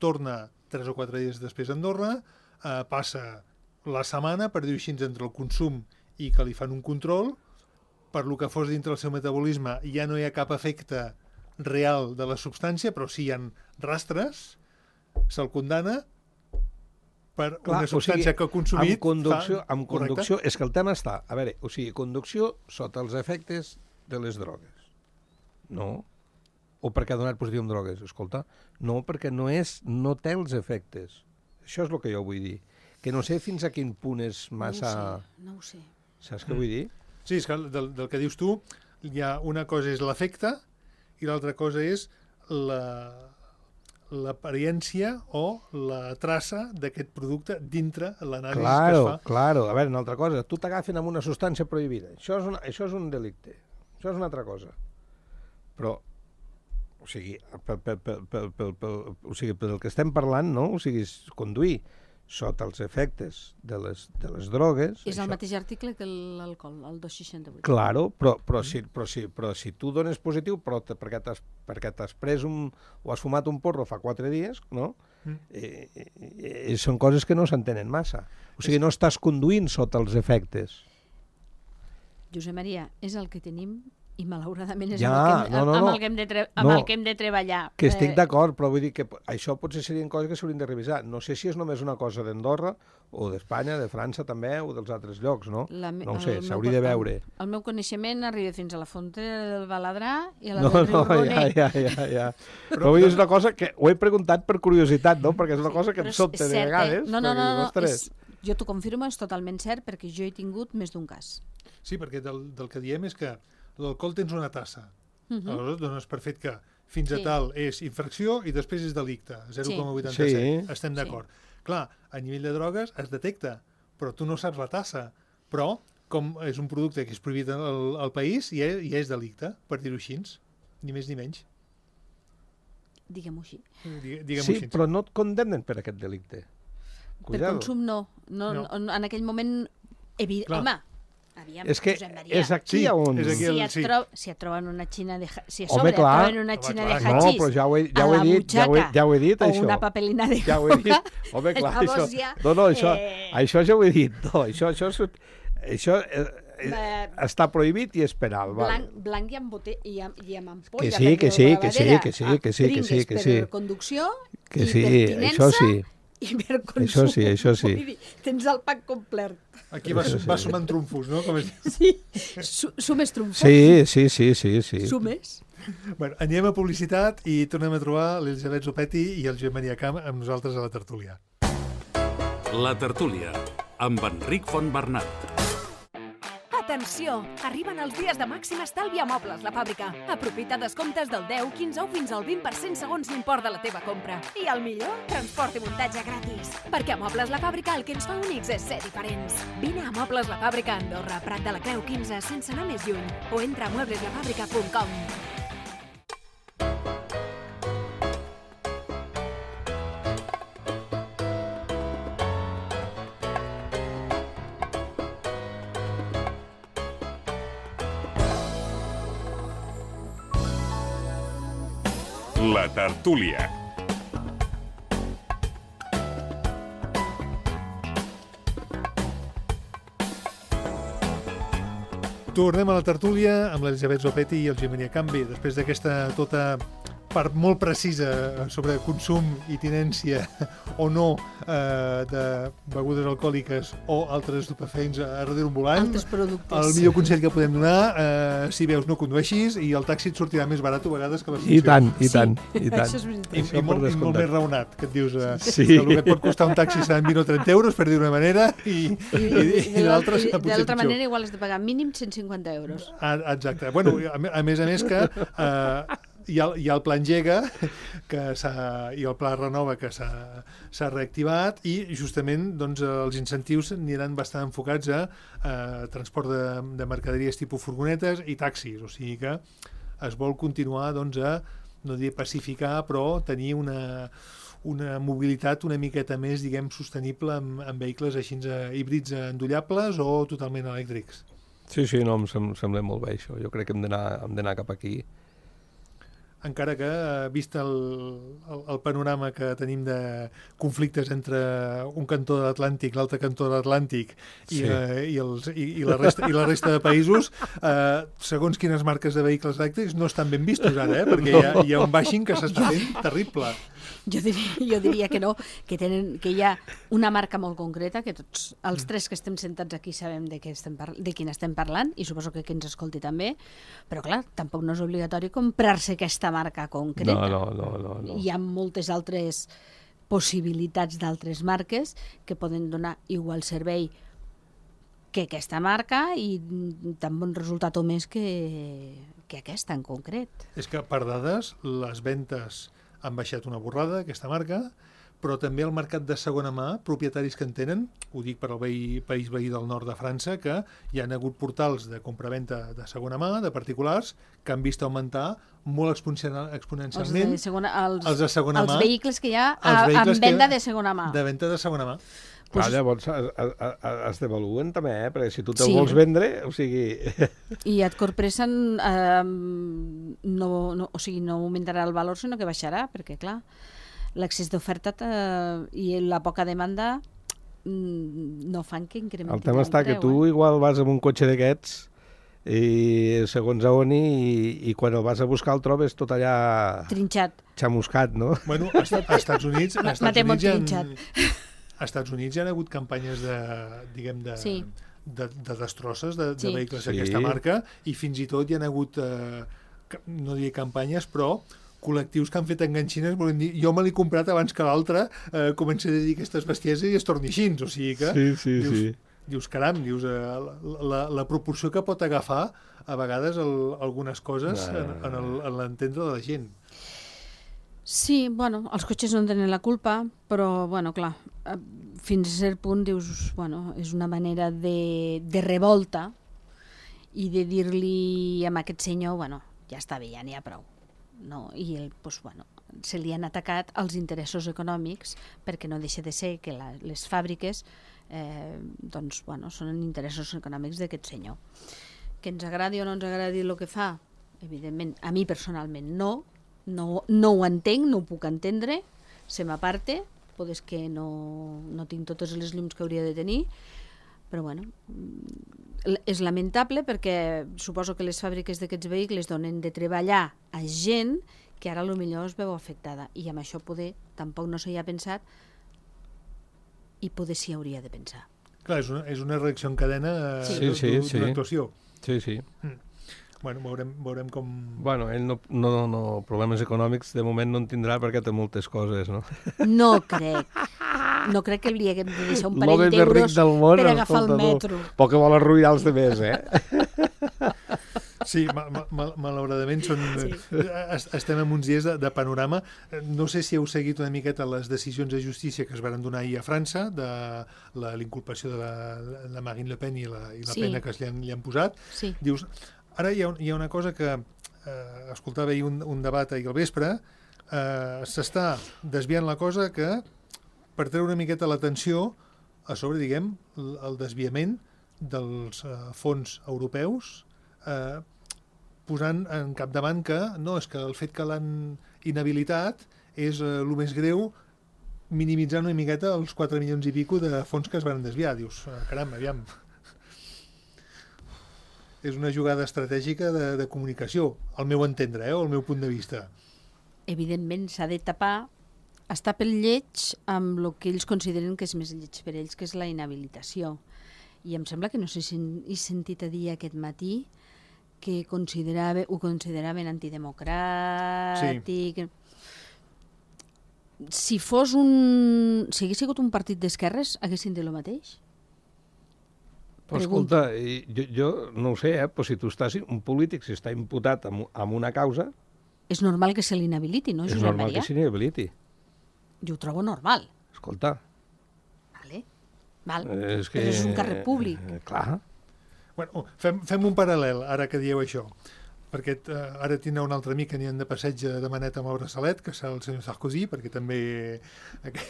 torna tres o quatre dies després a Andorra, eh, passa la setmana, per dir-ho així, entre el consum i que li fan un control, per lo que fos dintre el seu metabolisme ja no hi ha cap efecte real de la substància, però sí hi ha rastres, se'l condana per Clar, una substància o sigui, que ha consumit. Amb conducció, fa... amb conducció, és que el tema està, a veure, o sigui, conducció sota els efectes de les drogues. No. O perquè ha donat positiu amb drogues. Escolta, no, perquè no és, no té els efectes. Això és el que jo vull dir. Que no sé fins a quin punt és massa... No ho sé, no ho sé. Saps què vull dir? Sí, és que del, del que dius tu, hi ha una cosa és l'efecte i l'altra cosa és la l'apariència o la traça d'aquest producte dintre l'anàlisi claro, que es fa. Claro, a veure, una altra cosa, tu t'agafen amb una substància prohibida, això és, una, això és un delicte, això és una altra cosa. Però, o sigui, pel, pel, pel, pel, pel, pel, o sigui, pel que estem parlant, no? O sigui, conduir sota els efectes de les, de les drogues... És això... el mateix article que l'alcohol, el dos seixanta-vuit. Claro, però, però, si, però, si, però si tu dones positiu però te, perquè t'has perquè t'has pres un, o has fumat un porro fa quatre dies, no? Mm. Eh, eh, eh, són coses que no s'entenen massa. O sigui, no estàs conduint sota els efectes. Josep Maria, és el que tenim i malauradament és ja, amb, el que hem, no, no, amb, no. el que hem de tre amb no. el que hem de treballar. Que estic eh... d'acord, però vull dir que això potser serien coses que s'haurien de revisar. No sé si és només una cosa d'Andorra, o d'Espanya, de França també, o dels altres llocs, no? La, no ho sé, el s'hauria de veure. El, el meu coneixement arriba fins a la Fontera del Baladrà i a la no, del Riu no, Roner. Ja, ja, ja, ja. Però, però vull dir, és una cosa que ho he preguntat per curiositat, no? Perquè és una cosa que em sobta de vegades. Eh? No, no, no, no, no és, jo t'ho confirmo, és totalment cert, perquè jo he tingut més d'un cas. Sí, perquè del, del que diem és que l'alcohol tens una tassa. Uh -huh. Aleshores dones per fet que fins a sí. tal és infracció i després és delicte, zero coma vuitanta-set. Sí. Estem d'acord. Sí. Clar, a nivell de drogues es detecta, però tu no saps la tassa. Però, com és un producte que és prohibit al, al país, ja, ja és delicte, per dir-ho així. Ni més ni menys. Diguem-ho així. Diguem sí, així. Però no et condemnen per aquest delicte. Cuidado. Per consum no. no, no. no en aquell moment... Evi... Home, aviam, és que és aquí sí, on... És aquí si, el, et sí. tro si et troben una xina de... Si a Home, sobre clar. et troben una xina Home, de clar. hachís No, però ja ho he, ja a ho he la dit, ja ho he, ja ho he dit, o això. una papelina de ja ho he dit. coca, Home, clar, llavors això... ja... No, no, això, eh... això ja ho he dit. No, això, això, és, això eh, eh, està prohibit i és penal. Blanc, Val. blanc i amb, bote i amb, i amb ampolla. Que sí, que sí, que sí, que sí, que sí, que sí, que sí. Per conducció que i sí, per tinença això sí. i per consum. Això sí, això sí. Vull dir, tens el pack complet. Aquí va, Això sí. va sumant trumfos, no? Com es diu. Sí, Su sumes trumfos. Sí, sí, sí, sí, sí. Sumes. Bueno, anem a publicitat i tornem a trobar l'Elisabet Zopetti i el Josep Maria Camp amb nosaltres a la tertúlia. La tertúlia, amb Enric Fontbernat. Atenció! Arriben els dies de màxim estalvi a Mobles La Fàbrica. Aprofita descomptes del deu, quinze o fins al vint per cent segons l'import de la teva compra. I el millor? Transport i muntatge gratis. Perquè a Mobles La Fàbrica el que ens fa únics és ser diferents. Vine a Mobles La Fàbrica a Andorra, Prat de la Creu quinze, sense anar més lluny. O entra a muebles la fàbrica punt com. La tertúlia. Tornem a la tertúlia amb l'Elisabet Zopetti i el Josep Maria Camp. Després d'aquesta tota part molt precisa sobre consum i tinència o no eh, de begudes alcohòliques o altres estupefaents a darrere un volant. Altres productes. El millor consell que podem donar, eh, si veus no condueixis i el taxi et sortirà més barat a vegades que l'ascensió. I tant, i Sí, tant, i tant. això és veritat. I, Això i, per molt, i molt descomptat. més raonat, que et dius eh, Sí. que el que et pot costar un taxi seran vint o trenta euros, per dir d'una manera, i, i, i, i l'altre serà de potser l'altra pitjor. manera igual has de pagar mínim cent cinquanta euros. Ah, exacte. Bueno, a, a més a més que eh, hi, ha, hi ha el Pla Engega que i el Pla Renova que s'ha reactivat i justament doncs, els incentius aniran bastant enfocats a eh, transport de, de mercaderies tipus furgonetes i taxis. O sigui que es vol continuar doncs, a, no diré pacificar, però tenir una, una mobilitat una miqueta més, diguem, sostenible amb, amb vehicles així eh, híbrids endollables o totalment elèctrics. Sí, sí, no, em sem sembla molt bé això. Jo crec que hem d'anar cap aquí. Encara que, vist el, el, el panorama que tenim de conflictes entre un cantó de l'Atlàntic, l'altre cantó de l'Atlàntic i, sí. eh, i, els, i, i, la resta, i la resta de països, eh, segons quines marques de vehicles elèctrics no estan ben vistos ara, eh? Perquè hi ha, hi ha un bashing que s'està fent terrible. Jo diria, jo diria que no, que, tenen, que hi ha una marca molt concreta, que tots els tres que estem sentats aquí sabem de, estem de quin estem parlant, i suposo que qui ens escolti també, però clar, tampoc no és obligatori comprar-se aquesta marca concreta. No, no, no, no, no. Hi ha moltes altres possibilitats d'altres marques que poden donar igual servei que aquesta marca i tan bon resultat o més que, que aquesta en concret. És que per dades, les ventes han baixat una borrada, aquesta marca, però també el mercat de segona mà, propietaris que en tenen, ho dic per al veí, país veí del nord de França, que hi han hagut portals de compra-venta de segona mà, de particulars, que han vist augmentar molt exponencialment els de segona, els, els de segona els mà. Els vehicles que hi ha a, en venda de segona mà. De venda de segona mà. Clar, llavors es, es, es devaluen també, eh? Perquè si tu te'l sí. vols vendre, o sigui... I et corpressen, eh, no, no, o sigui, no augmentarà el valor, sinó que baixarà, perquè clar, l'excés d'oferta eh, i la poca demanda no fan que incrementin el preu. El tema està que tu eh? igual vas amb un cotxe d'aquests i segons a on i, i quan el vas a buscar el trobes tot allà... Trinxat. Xamuscat, no? Bueno, a Estats Units... A Estats Units trinxat. Als Estats Units hi ha hagut campanyes de, diguem, de, sí. de, de destrosses de, sí. de vehicles sí. d'aquesta marca i fins i tot hi ha hagut, eh, no diré campanyes, però col·lectius que han fet enganxines volent dir, jo me l'he comprat abans que l'altre, eh, comença a dir aquestes bestieses i es torni així, o sigui que... Sí, sí, dius, sí. Dius, caram, dius, eh, la, la proporció que pot agafar a vegades el, algunes coses no. en, en l'entendre de la gent. Sí, bueno, els cotxes no en tenen la culpa, però, bueno, clar, fins a cert punt dius, bueno, és una manera de, de revolta i de dir-li a aquest senyor, bueno, ja està bé, ja n'hi ha prou. No? I el, doncs, bueno, se li han atacat els interessos econòmics perquè no deixa de ser que la, les fàbriques eh, doncs, bueno, són interessos econòmics d'aquest senyor. Que ens agradi o no ens agradi el que fa, evidentment, a mi personalment no, No, no ho entenc, no ho puc entendre, se m'aparte, potser que no, no tinc totes les llums que hauria de tenir, però bueno, és lamentable perquè suposo que les fàbriques d'aquests vehicles donen de treballar a gent que ara potser es veu afectada, i amb això poder tampoc no s'hi ha pensat i poder s'hi hauria de pensar. Clar, és una, és una reacció en cadena sí. d'una sí, sí, actuació. Sí, sí. Mm. Bueno, veurem, veurem com... Bueno, ell no, no, no, problemes econòmics de moment no en tindrà perquè té moltes coses, no? No crec. No crec que li haguem de deixar un parell d'euros per agafar el metro. Poc que vol arruïnar els demés, eh? Sí, ma ma malauradament són, sí. estem en uns dies de, de panorama. No sé si heu seguit una miqueta les decisions de justícia que es van donar ahir a França, de l'inculpació de la, la Marine Le Pen i la, i la sí. pena que li han, li han posat. Sí. Dius... Ara hi ha, hi ha una cosa que eh, escoltava ahir un, un debat ahir al vespre, eh, s'està desviant la cosa que per treure una miqueta l'atenció a sobre, diguem, el, el desviament dels eh, fons europeus, eh, posant en capdavant que no, és que el fet que l'han inhabilitat és eh, el més greu, minimitzant una miqueta els quatre milions i pico de fons que es van desviar. Dius, caram, aviam... És una jugada estratègica de, de comunicació, al meu entendre, eh, o al meu punt de vista. Evidentment s'ha de tapar, està pel lleig amb el que ells consideren que és més lleig per ells, que és la inhabilitació. I em sembla que no sé si he sentit a dir aquest matí que considerava, ho consideraven antidemocràtic... Sí. Si fos un... Si hagués sigut un partit d'esquerres, haguessin dit el mateix? Però escolta, jo, jo no ho sé, eh, però si tu estàs, un polític, si està imputat amb, amb una causa... És normal que se l'inhabiliti, no, És Josep normal Maria? que se l'inhabiliti. Jo ho trobo normal. Escolta... Vale. Val. És que... Però és un càrrec públic. Eh, clar. Bueno, fem, fem un paral·lel, ara que dieu això. perquè uh, ara tindrà un altre amic que aniran de passeig de maneta amb el braçalet, que serà el senyor Sarkozy, perquè també...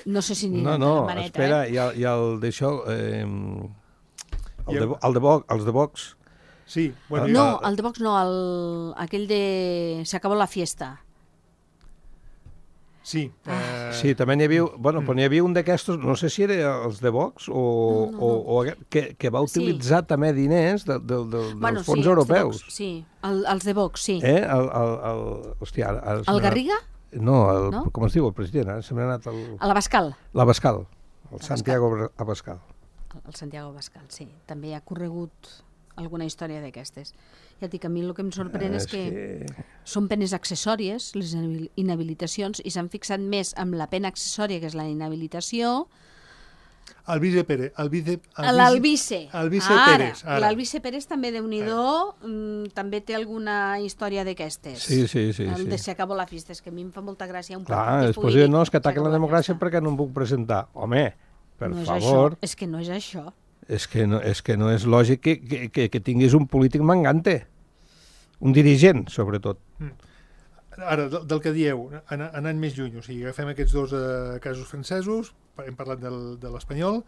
No sé si No, aniran no, de maneta, espera, eh? hi ha, hi ha el d'això... Eh, el, Hi ha- de, el de Vox, els de Vox. Sí, bueno, No, jo- el de Vox no, el, aquell de... Se acabó la fiesta. Sí, eh, Sí, també n'hi havia... Bueno, però n'hi havia un d'aquestos, no sé si era els de Vox o, No, no, no. o, o aquest, que, que va Sí. utilitzar també diners de, de, de, Bueno, dels fons sí, els de europeus. Vox, sí, el, els de Vox, sí. Eh? El, el, el, hòstia, ara, ara se El m'ha- Garriga? No, el, No? com es diu, el president, ara se m'ha anat el... A l'Abascal. L'Abascal, el Abascal. Santiago Abascal. El, el Santiago Abascal, sí. També ha corregut alguna història d'aquestes. Ja et dic, a mi el que em sorprèn és, És que, que- són penes accessòries, les inabil- inhabilitacions, i s'han fixat més amb la pena accessòria, que és la inhabilitació, el vice Pérez. El vice, el l'Albice. Albice Ara, Pérez. Ara. l'Albice Pérez també, Déu-n'hi-do, mm, també té alguna història d'aquestes. Sí, sí, sí. El de sí. Se acabó la fiesta, és que a mi em fa molta gràcia un Clar, partit després polític, diuen, no, és que "Se ataquen acabó la democràcia fiesta". perquè no em puc presentar. Home, per no és favor, Això. És que no és això. és que no és, que no és lògic que, que, que, que tinguis un polític mangante. Un dirigent, sobretot. Ara, del, del que dieu, an anant més lluny, o sigui, agafem aquests dos eh, casos francesos, hem parlat del, de l'espanyol,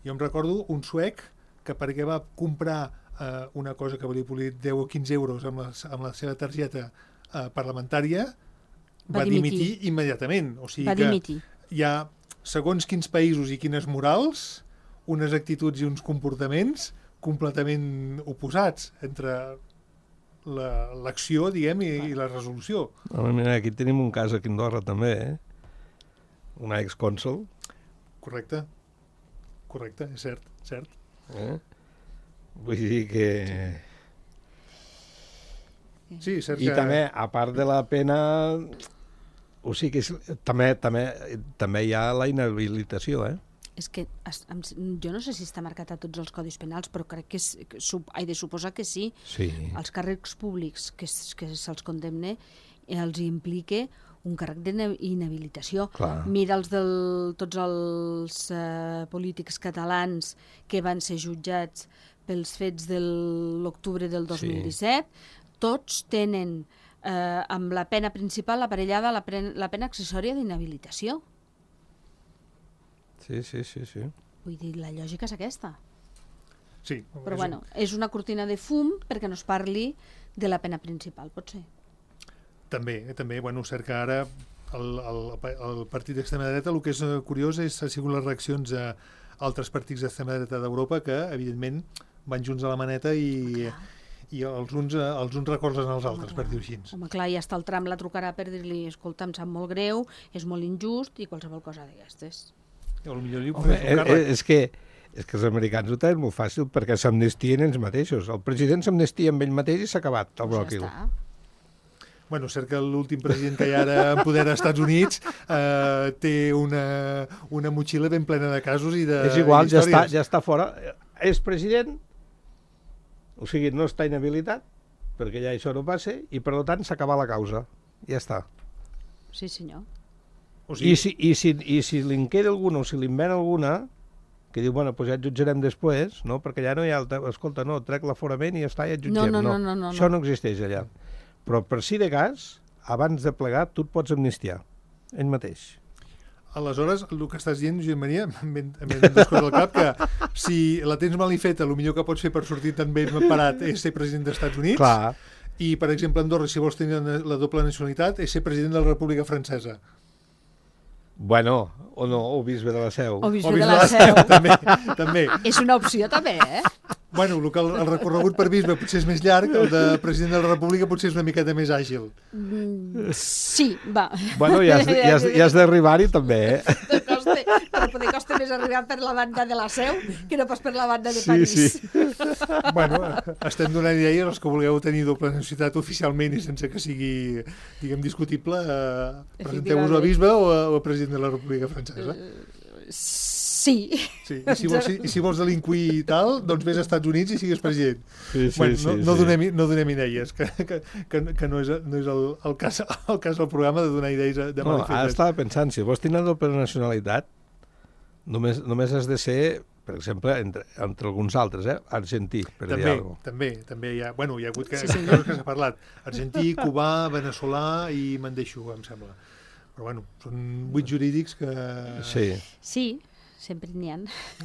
jo em recordo un suec que perquè va comprar eh, una cosa que valia polir deu o quinze euros amb la, amb la seva targeta eh, parlamentària, Va va, dimitir. dimitir immediatament. O sigui Va que dimitir. hi ha, segons quins països i quines morals, unes actituds i uns comportaments completament oposats entre l'acció, diguem, i, i la resolució. Home, mira, aquí tenim un cas aquí a Andorra també, eh? Una excònsol. Correcte? Correcte, és cert, cert. Eh? Vull dir que... Sí, cert I que... també, a part de la pena... O sigui, que és, també, també, també hi ha la inhabilitació, eh? És que es, em, jo no sé si està marcat a tots els codis penals, però crec que, és, que sup, he de suposar que sí. Sí. Els càrrecs públics que, s- que se'ls condemne eh, els implique un càrrec d'inhabilitació. Clar. Mira els del, tots els eh, polítics catalans que van ser jutjats pels fets de l'octubre del dos mil disset, tots tenen eh, amb la pena principal aparellada la, pen, la pena accessòria d'inhabilitació. Sí, sí, sí, sí. Vull dir, la lògica és aquesta. Sí, Però és bueno, és una cortina de fum perquè no es parli de la pena principal, pot ser. També, també, bueno, cert que ara el, el, el partit d'extrema dreta, el que és eh, curiós és, ha sigut les reaccions a altres partits d'extrema dreta d'Europa que, evidentment, van junts a la maneta i, i els, uns, eh, els uns recolzen els altres, per dir-ho així. Home, clar, ja està el Trump, la trucarà per dir-li, escolta, em sap molt greu, és molt injust i qualsevol cosa d'aquestes. O potser li Home, ofereix un eh, càrrec. eh, és que és que els americans ho tenen molt fàcil perquè s'amnestien ells mateixos. El president s'amnestia amb ell mateix i s'ha acabat el Doncs bròquil. ja està. Bueno, cert que l'últim president que hi ha ara en poder als Estats Units eh, té una, una motxilla ben plena de casos i de És igual, i ja està, d'històries. ja està fora. És president, o sigui, no està inhabilitat, perquè ja això no passa, i per tant s'acaba la causa. Ja està. Sí, senyor. O I sigui, si, i si, i si li en queda alguna, o si li en ven alguna, que diu, bueno, doncs ja et jutjarem després, no? Perquè ja no hi ha... El te... Escolta, no, trec l'aforament i ja està, ja et jutgem. No, no, no, no, no, Això no. no existeix allà. Però per si de cas, abans de plegar, tu et pots amnistiar. Ell mateix. aleshores, el que estàs dient, Josep Maria, em ven, em ven dues coses al cap, que si la tens mal i feta, el millor que pots fer per sortir tan ben parat és ser president dels Estats Units. Clar. I, per exemple, Andorra, si vols tenir la doble nacionalitat, és ser president de la República Francesa. Bueno, o no, o bisbe de la Seu. O bisbe O de bisbe la Seu. també, també. És una opció, també, eh? Bueno, el, que el, el recorregut per bisbe potser és més llarg, el de president de la República potser és una miqueta més àgil. Mm, sí, va. Bueno, ja has, ja has, ja has d'arribar-hi també, eh? Costa, però poder costa més arribar per la banda de la Seu que no pas per la banda de Sí, París. sí. Bueno, estem donant idees als que vulgueu tenir doble nacionalitat oficialment i sense que sigui, diguem, discutible. Eh, presenteu-vos a bisbe o a, o a president de la República Francesa. Sí. Sí. I, si vols, I si vols delinquir i tal, doncs vés als Estats Units i sigues president. Sí, sí, bueno, sí, no, no, sí. donem, no donem idees, que, que, que, que no és, no és el, el, cas, el cas del programa de donar idees de No, mal i ara fetes. estava pensant, si vols tenir doble nacionalitat, només, només has de ser per exemple, entre, entre alguns altres, eh? Argentí, per també, dir alguna cosa. També, també hi ha, bueno, hi ha hagut que, Sí, sí. coses que s'ha parlat. Argentí, cubà, veneçolà i me'n deixo, em sembla. Però bueno, són vuit jurídics que... Sí. Sí, sempre n'hi ha.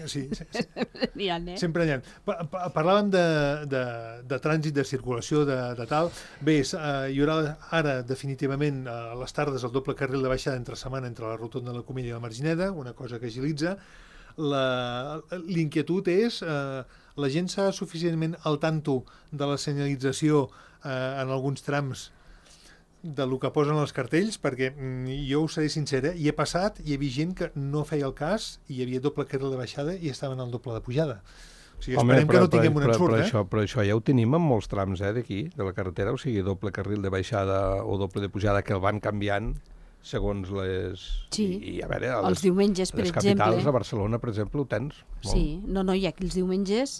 Sí, sí, sí. N'hi ha, eh? Sempre n'hi ha. Pa- pa- Parlàvem de, de, de trànsit, de circulació, de, de tal. Bé, és, uh, hi haurà ara definitivament a les tardes el doble carril de baixada entre setmana entre la rotonda de la Comella i la Margineda, una cosa que agilitza. La- L'inquietud és uh, la gent s'ha suficientment al tanto de la senyalització uh, en alguns trams de lo que posen els cartells, perquè mm, jo us seré sincera, hi he passat i hi havia gent que no feia el cas i hi havia doble carril de baixada i estaven al doble de pujada. O sigui, esperem que no tinguem un però, ensurt, però, eh? això, però això ja ho tenim en molts trams, eh, d'aquí, de la carretera, o sigui, doble carril de baixada o doble de pujada, que el van canviant segons les... Sí. I, i a veure, a Els les, diumenges, per les capitals, exemple. a Barcelona, per exemple, ho tens. molt. Sí, no, no, hi ha aquí els diumenges,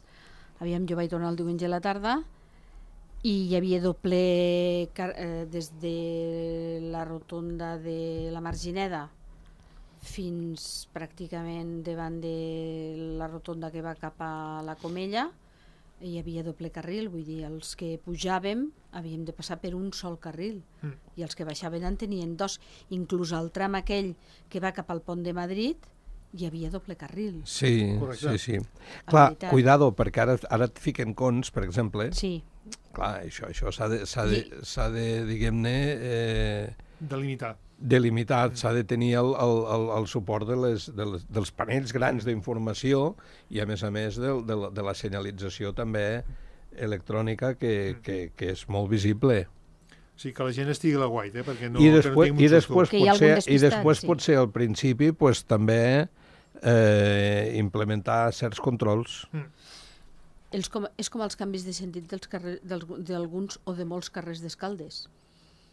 aviam, jo vaig tornar el diumenge a la tarda, i hi havia doble car eh, des de la rotonda de la Margineda fins pràcticament davant de la rotonda que va cap a la Comella, hi havia doble carril, vull dir, els que pujàvem havíem de passar per un sol carril, Mm. i els que baixaven en tenien dos, inclús el tram aquell que va cap al pont de Madrid hi havia doble carril. Sí, Correcte. sí, sí. Clar, veritat. cuidado, perquè ara, ara et fiquen cons, per exemple. Sí, Clar, això això s'ha de, s'ha de, I- s'ha de diguem-ne, eh, Delimitar. delimitat, s'ha de tenir el, el, el, el suport de les, de les, dels panells grans d'informació i, a més a més, de, de, la, de la senyalització també electrònica que, que, que és molt visible. O sigui, que la gent estigui a la guait, eh? Perquè no, I que no després, tinguem un i després, Que hi ha potser, algun i despistat, després sí. potser al principi pues, també eh, implementar certs controls. Els com, és com els canvis de sentit dels carrer, dels, d'alguns o de molts carrers d'Escaldes,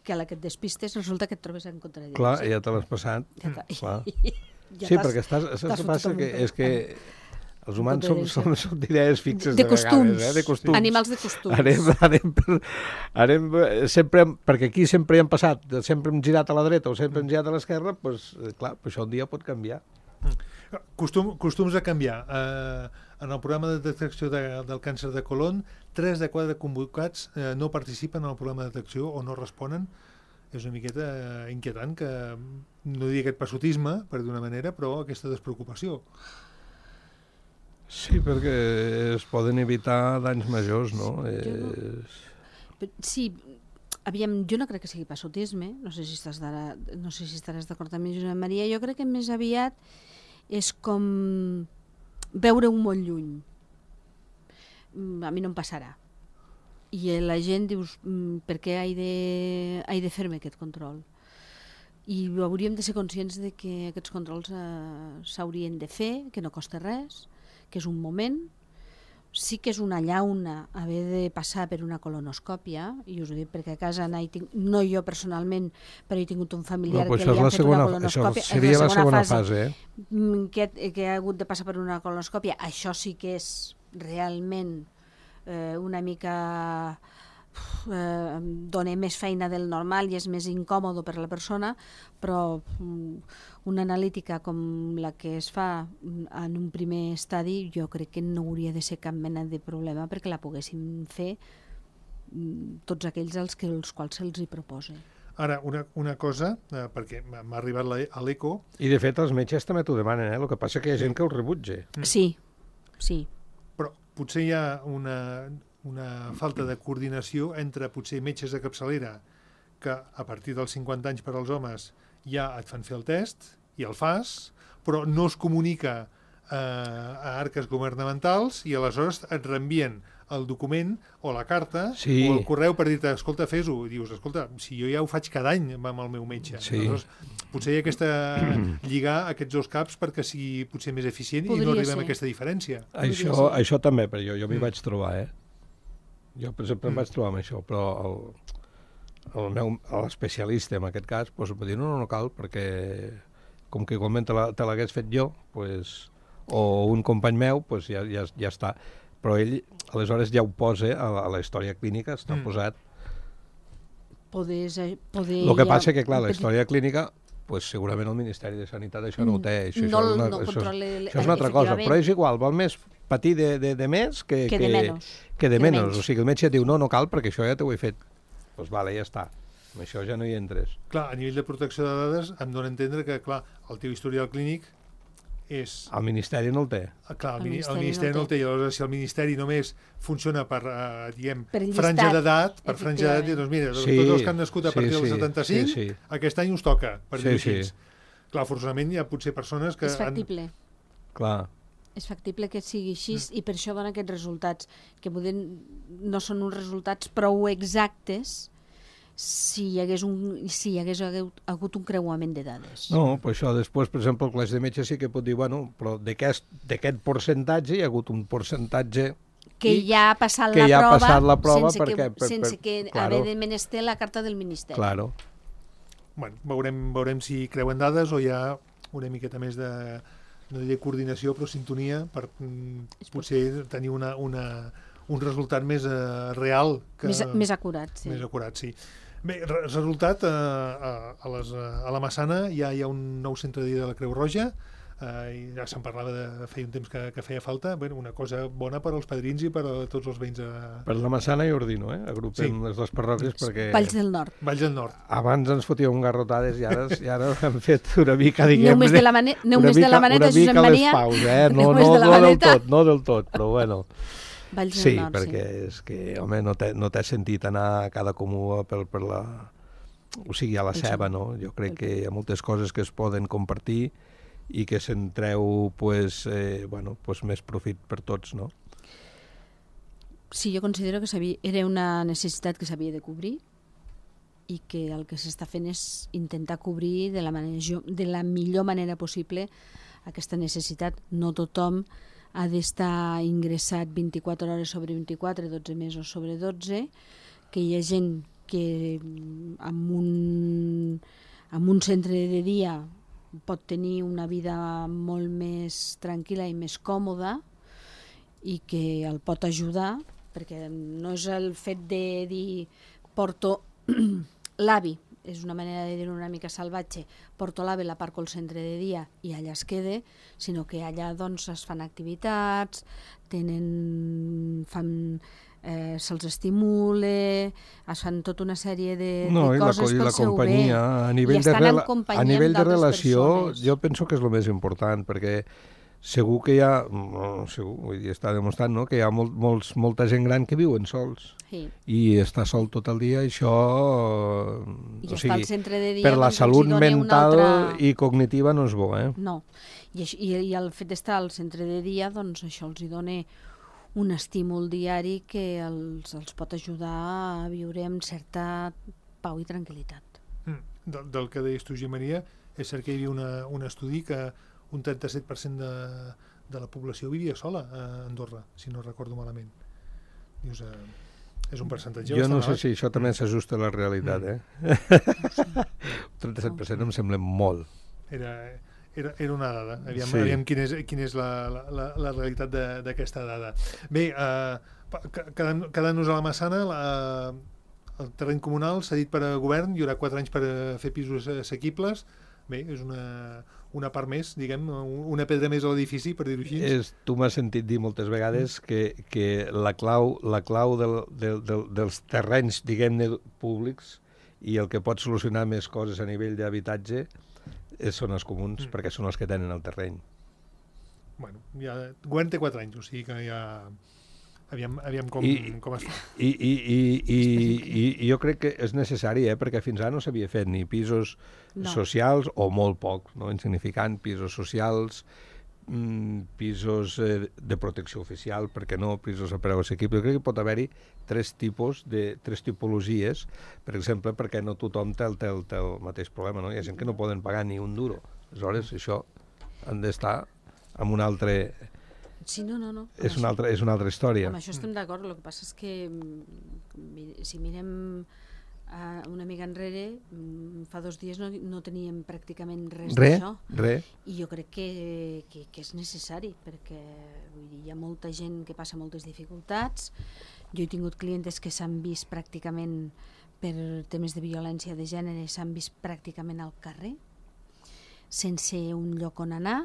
que a la que et despistes resulta que et trobes en contradirecció. Clar, ja te l'has passat. Ja t'ha- Clar. ja Sí, t'has- perquè estàs, saps t'has què fotut passa? amb Que un és que els humans som, contradicció. som, som d'idees fixes de de, costums, vegades, eh? de costums. animals de costums. Anem, anem, per, anem eh, sempre, perquè aquí sempre hi han passat, sempre hem girat a la dreta o sempre hem girat a l'esquerra, doncs, eh, clar, però això un dia pot canviar. Costum, costums a canviar. Uh, en el programa de detecció de, del càncer de colon, tres de quatre convocats uh, no participen en el programa de detecció o no responen. És una miqueta uh, inquietant que, no diria aquest passotisme, per dir una manera, però aquesta despreocupació. Sí, perquè es poden evitar danys majors, no? Jo no. És... Però, sí, aviam, jo no crec que sigui passotisme, no sé si estàs d'ara- no sé si estaràs d'acord amb mi, Josep Maria, jo crec que més aviat és com veure-ho molt lluny. Mm, A mi no em passarà. I la gent dius, mm, per què he de, he de fer-me aquest control? I hauríem de ser conscients de que aquests controls eh, s'haurien de fer, que no costa res, que és un moment. Sí que és una llauna haver de passar per una colonoscòpia, i us ho dic perquè a casa n'he tinc, no jo personalment, però he tingut un familiar No, però que això li és han la fet segona, una això colonoscòpia. És seria la segona fase, eh? mm, que, que ha hagut de passar per una colonoscòpia. Això sí que és realment eh, una mica eh, dona més feina del normal i és més incòmodo per a la persona, però mm, una analítica com la que es fa mm, en un primer estadi jo crec que no hauria de ser cap mena de problema perquè la poguessin fer mm, tots aquells als, que, els quals se'ls hi proposa. Ara, una, una cosa, eh, perquè m'ha m'ha arribat la, a l'eco, I, de fet, els metges també t'ho demanen, eh? El que passa que hi ha gent que ho rebutja. Sí, sí. però potser hi ha una, una falta de coordinació entre potser metges de capçalera que a partir dels cinquanta anys per als homes ja et fan fer el test i el fas, però no es comunica eh, a arques governamentals i aleshores et reenvien el document o la carta Sí. o el correu per dir-te, escolta, fes-ho. I dius, escolta, si jo ja ho faig cada any amb el meu metge. Sí. Aleshores, potser hi ha aquesta lligar aquests dos caps perquè sigui potser més eficient i no Podria arribem ser. a aquesta diferència. Això, ser. això també, però jo, jo m'hi Mm. vaig trobar, eh? Jo, per exemple, em vaig trobar amb això, però el, el meu l'especialista, en aquest cas, doncs, em va dir, no, no, no cal, perquè com que igualment te la- te l'hagués fet jo, pues, o un company meu, pues, ja, ja, ja està. Però ell, aleshores, ja ho posa a la, a la història clínica, està Mm. posat. Poder, poder El que ja- passa que, clar, la petit- història clínica pues, segurament el Ministeri de Sanitat això no ho té. Això, No, això, és, una, no això, controla és, el- això és una altra cosa, efectivament. però és igual, val més patir de, de, de més que, Que de menys. Que de Que de menys. menys. O sigui, el metge et diu, no, no cal, perquè això ja t'ho he fet. Doncs pues, vale, ja està. Amb això ja no hi entres. Clar, a nivell de protecció de dades em dona a entendre que, clar, el teu historial clínic és... El Ministeri no el té. Ah, clar, el, El mini- el Ministeri Ministeri no no el el té. I aleshores, si el Ministeri només funciona per, eh, diguem, Per llistat, franja d'edat, per franja d'edat, efectivament. doncs mira, Sí, tots els que han nascut a sí, partir del sí, setanta-cinc, sí, sí. aquest any us toca, per Sí, dir-ho sí. així. Clar, forçosament hi ha potser persones que... És factible. Clar. És factible que sigui així Mm. i per això dona aquests resultats, que poden, no són uns resultats prou exactes si hi hagués, un, si hi hagués hagut, hagut un creuament de dades. No, però això després, per exemple, el col·legi de metges sí que pot dir, bueno, però d'aquest d'aquest percentatge hi ha hagut un percentatge que i- ja ha passat, que la, ja ha prova, passat la prova sense perquè- que, per- per- sense que claro. haver de menester la carta del Ministeri. Claro. Bueno, veurem, veurem si creuen dades o hi ha una miqueta més de, no diré coordinació, però sintonia per mm, potser tenir una, una, un resultat més eh, real. Que, Més, més acurat, sí. Més acurat, sí. Bé, re- resultat, eh, a, a, les, a la Massana ja hi ha un nou centre de dia de la Creu Roja, eh, i ja se'n parlava de feia un temps que, que feia falta, bueno, una cosa bona per als padrins i per a tots els veïns de Per la Massana i Ordino, eh? Agrupem Sí. les dues parròquies perquè Valls del Nord. Valls del Nord. abans ens fotíem garrotades i ara, i ara hem fet una mica, diguem... Neu més de la, mane neu una més de la mica- maneta, una mica Josep Maria. les paus, eh? No, Neu més no, de la no del maneta. tot, no del tot, però bueno. Valls Sí, del Nord, perquè sí. és que, home, no té, no té sentit anar a cada comú per, per la... O sigui, a la Pel ceba, seu- no? Jo crec pel que hi ha moltes coses que es poden compartir i que se'n treu, pues, eh, bueno, pues més profit per tots, no? Sí, jo considero que s'havia- era una necessitat que s'havia de cobrir i que el que s'està fent és intentar cobrir de la, manera, de la millor manera possible aquesta necessitat. No tothom ha d'estar ingressat vint-i-quatre hores sobre vint-i-quatre, dotze mesos sobre dotze, que hi ha gent que mm, amb un, amb un centre de dia pot tenir una vida molt més tranquil·la i més còmoda i que el pot ajudar, perquè no és el fet de dir porto l'avi, és una manera de dir una mica salvatge, porto l'avi, la parco al centre de dia i allà es quede, sinó que allà doncs es fan activitats, tenen, fan, eh, se'ls estimule, es fan tota una sèrie de, No, de i la, coses co- i pel la seu companyia, bé. a nivell, I de, estan en rela a companyia nivell de d'altres relació, persones. jo penso que és el més important, perquè segur que hi ha, no, segur, vull dir, està demostrat, no?, que hi ha molt, molts, molta gent gran que viuen sols Sí. i està sol tot el dia, i això, I o estar al sigui, centre de dia, per la doncs, els hi salut dona una mental altra- i cognitiva no és bo, eh? No, i, això- i, i el fet d'estar al centre de dia, doncs això els hi dona un estímul diari que els, els pot ajudar a viure amb certa pau i tranquil·litat. Mm. Del, del que deies tu, Josep Maria, és cert que hi havia una, un estudi que un trenta-set per cent de, de la població vivia sola a Andorra, si no recordo malament. Dius, eh, és un percentatge Jo no bastant sé alt. si això també s'ajusta a la realitat, Mm. eh? Un trenta-set per cent em sembla molt. Era, era, era una dada. Aviam, Sí. aviam quina és, quina és la, la, la, la realitat de- d'aquesta dada. Bé, eh, pa- ca- quedant- quedant-nos a la Massana, la, el terreny comunal s'ha dit per a govern, hi haurà quatre anys per a fer pisos assequibles. Bé, és una, una part més, diguem, una pedra més a l'edifici, per dir-ho així. És, tu m'has sentit dir moltes vegades que, que la clau, la clau del, del, del, dels terrenys, diguem-ne, públics i el que pot solucionar més coses a nivell d'habitatge eh, són els comuns, Mm. perquè són els que tenen el terreny. Bueno, ja, el govern té quatre anys, o sigui que ja... Aviam, aviam com, I- com es fa. I, i, i, i, i, i jo crec que és necessari, eh? Perquè fins ara no s'havia fet ni pisos No. socials, o molt poc, no? Insignificant, pisos socials, mm, pisos eh, de protecció oficial, perquè no, pisos a preu assequible. Jo crec que pot haver-hi tres tipus, de, tres tipologies, per exemple, perquè no tothom té el, té, el, té el mateix problema, no? Hi ha gent que no poden pagar ni un duro. Aleshores, això han d'estar amb un altre... Sí, no, no, no. Amb És una això- altra, és una altra història. Amb això estem d'acord, el que passa és que mm, mi- si mirem uh, una mica enrere, mm, fa dos dies no, no teníem pràcticament res Re, d'això. re. I jo crec que, que, que és necessari, perquè vull dir, hi ha molta gent que passa moltes dificultats. Jo he tingut clientes que s'han vist pràcticament, per temes de violència de gènere, s'han vist pràcticament al carrer, sense un lloc on anar,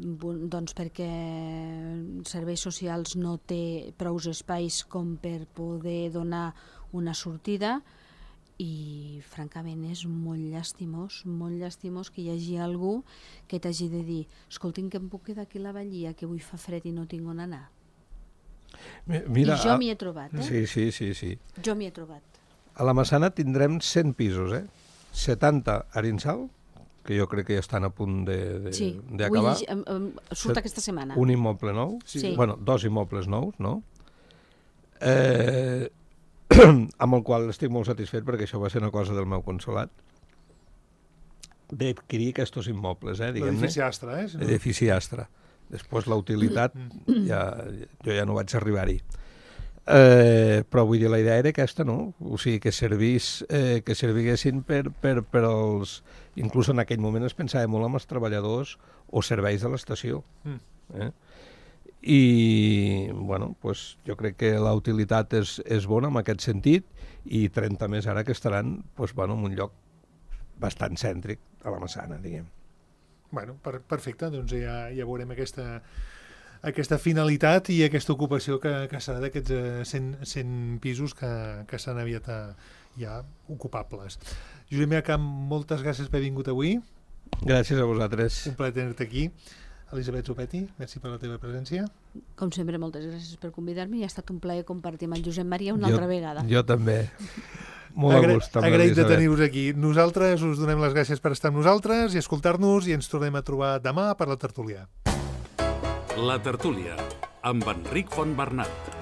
doncs perquè serveis socials no té prous espais com per poder donar una sortida, i francament és molt llastimós, molt llastimós que hi hagi algú que t'hagi de dir escolti'm, que em puc quedar aquí a la Vallia, que avui fa fred i no tinc on anar. Mira, I jo m'hi he trobat, eh? Sí, sí, sí, sí. Jo m'hi he trobat. A la Massana tindrem cent pisos, eh? setanta a Arinsal, que jo crec que ja estan a punt d'acabar. Sí, avui um, surt aquesta setmana. Un immoble nou, sí. Bueno, dos immobles nous, no? Eh, amb el qual estic molt satisfet perquè això va ser una cosa del meu consolat, d'adquirir aquests immobles, eh, diguem-ne. L'edifici Astra, eh? Si no... L'edifici Astra. Després la utilitat, ja, jo ja no vaig arribar-hi. Eh, però vull dir, la idea era aquesta, no? O sigui, que servís, eh, que serviguessin per, per, per als... Inclús en aquell moment es pensava molt en els treballadors o serveis de l'estació. Eh? I, bueno, pues, jo crec que la utilitat és, és bona en aquest sentit, i trenta més ara que estaran pues, bueno, en un lloc bastant cèntric a la Massana, diguem. Bueno, per, perfecte, doncs ja, ja veurem aquesta, aquesta finalitat i aquesta ocupació que, que serà d'aquests eh, cent, cent pisos que, que seran aviat a, ja ocupables. Josep Miacamp, moltes gràcies per haver vingut avui. Gràcies a vosaltres. Un plaer tenir-te aquí. Elisabet Zopetti, merci per la teva presència. Com sempre, moltes gràcies per convidar-me i ha estat un plaer compartir amb el Josep Maria una jo, altra vegada. Jo també. Molt Agra a gust. Agraït de tenir-vos aquí. Nosaltres us donem les gràcies per estar amb nosaltres i escoltar-nos, i ens tornem a trobar demà per la tertúlia. La tertúlia, amb Enric Fontbernat.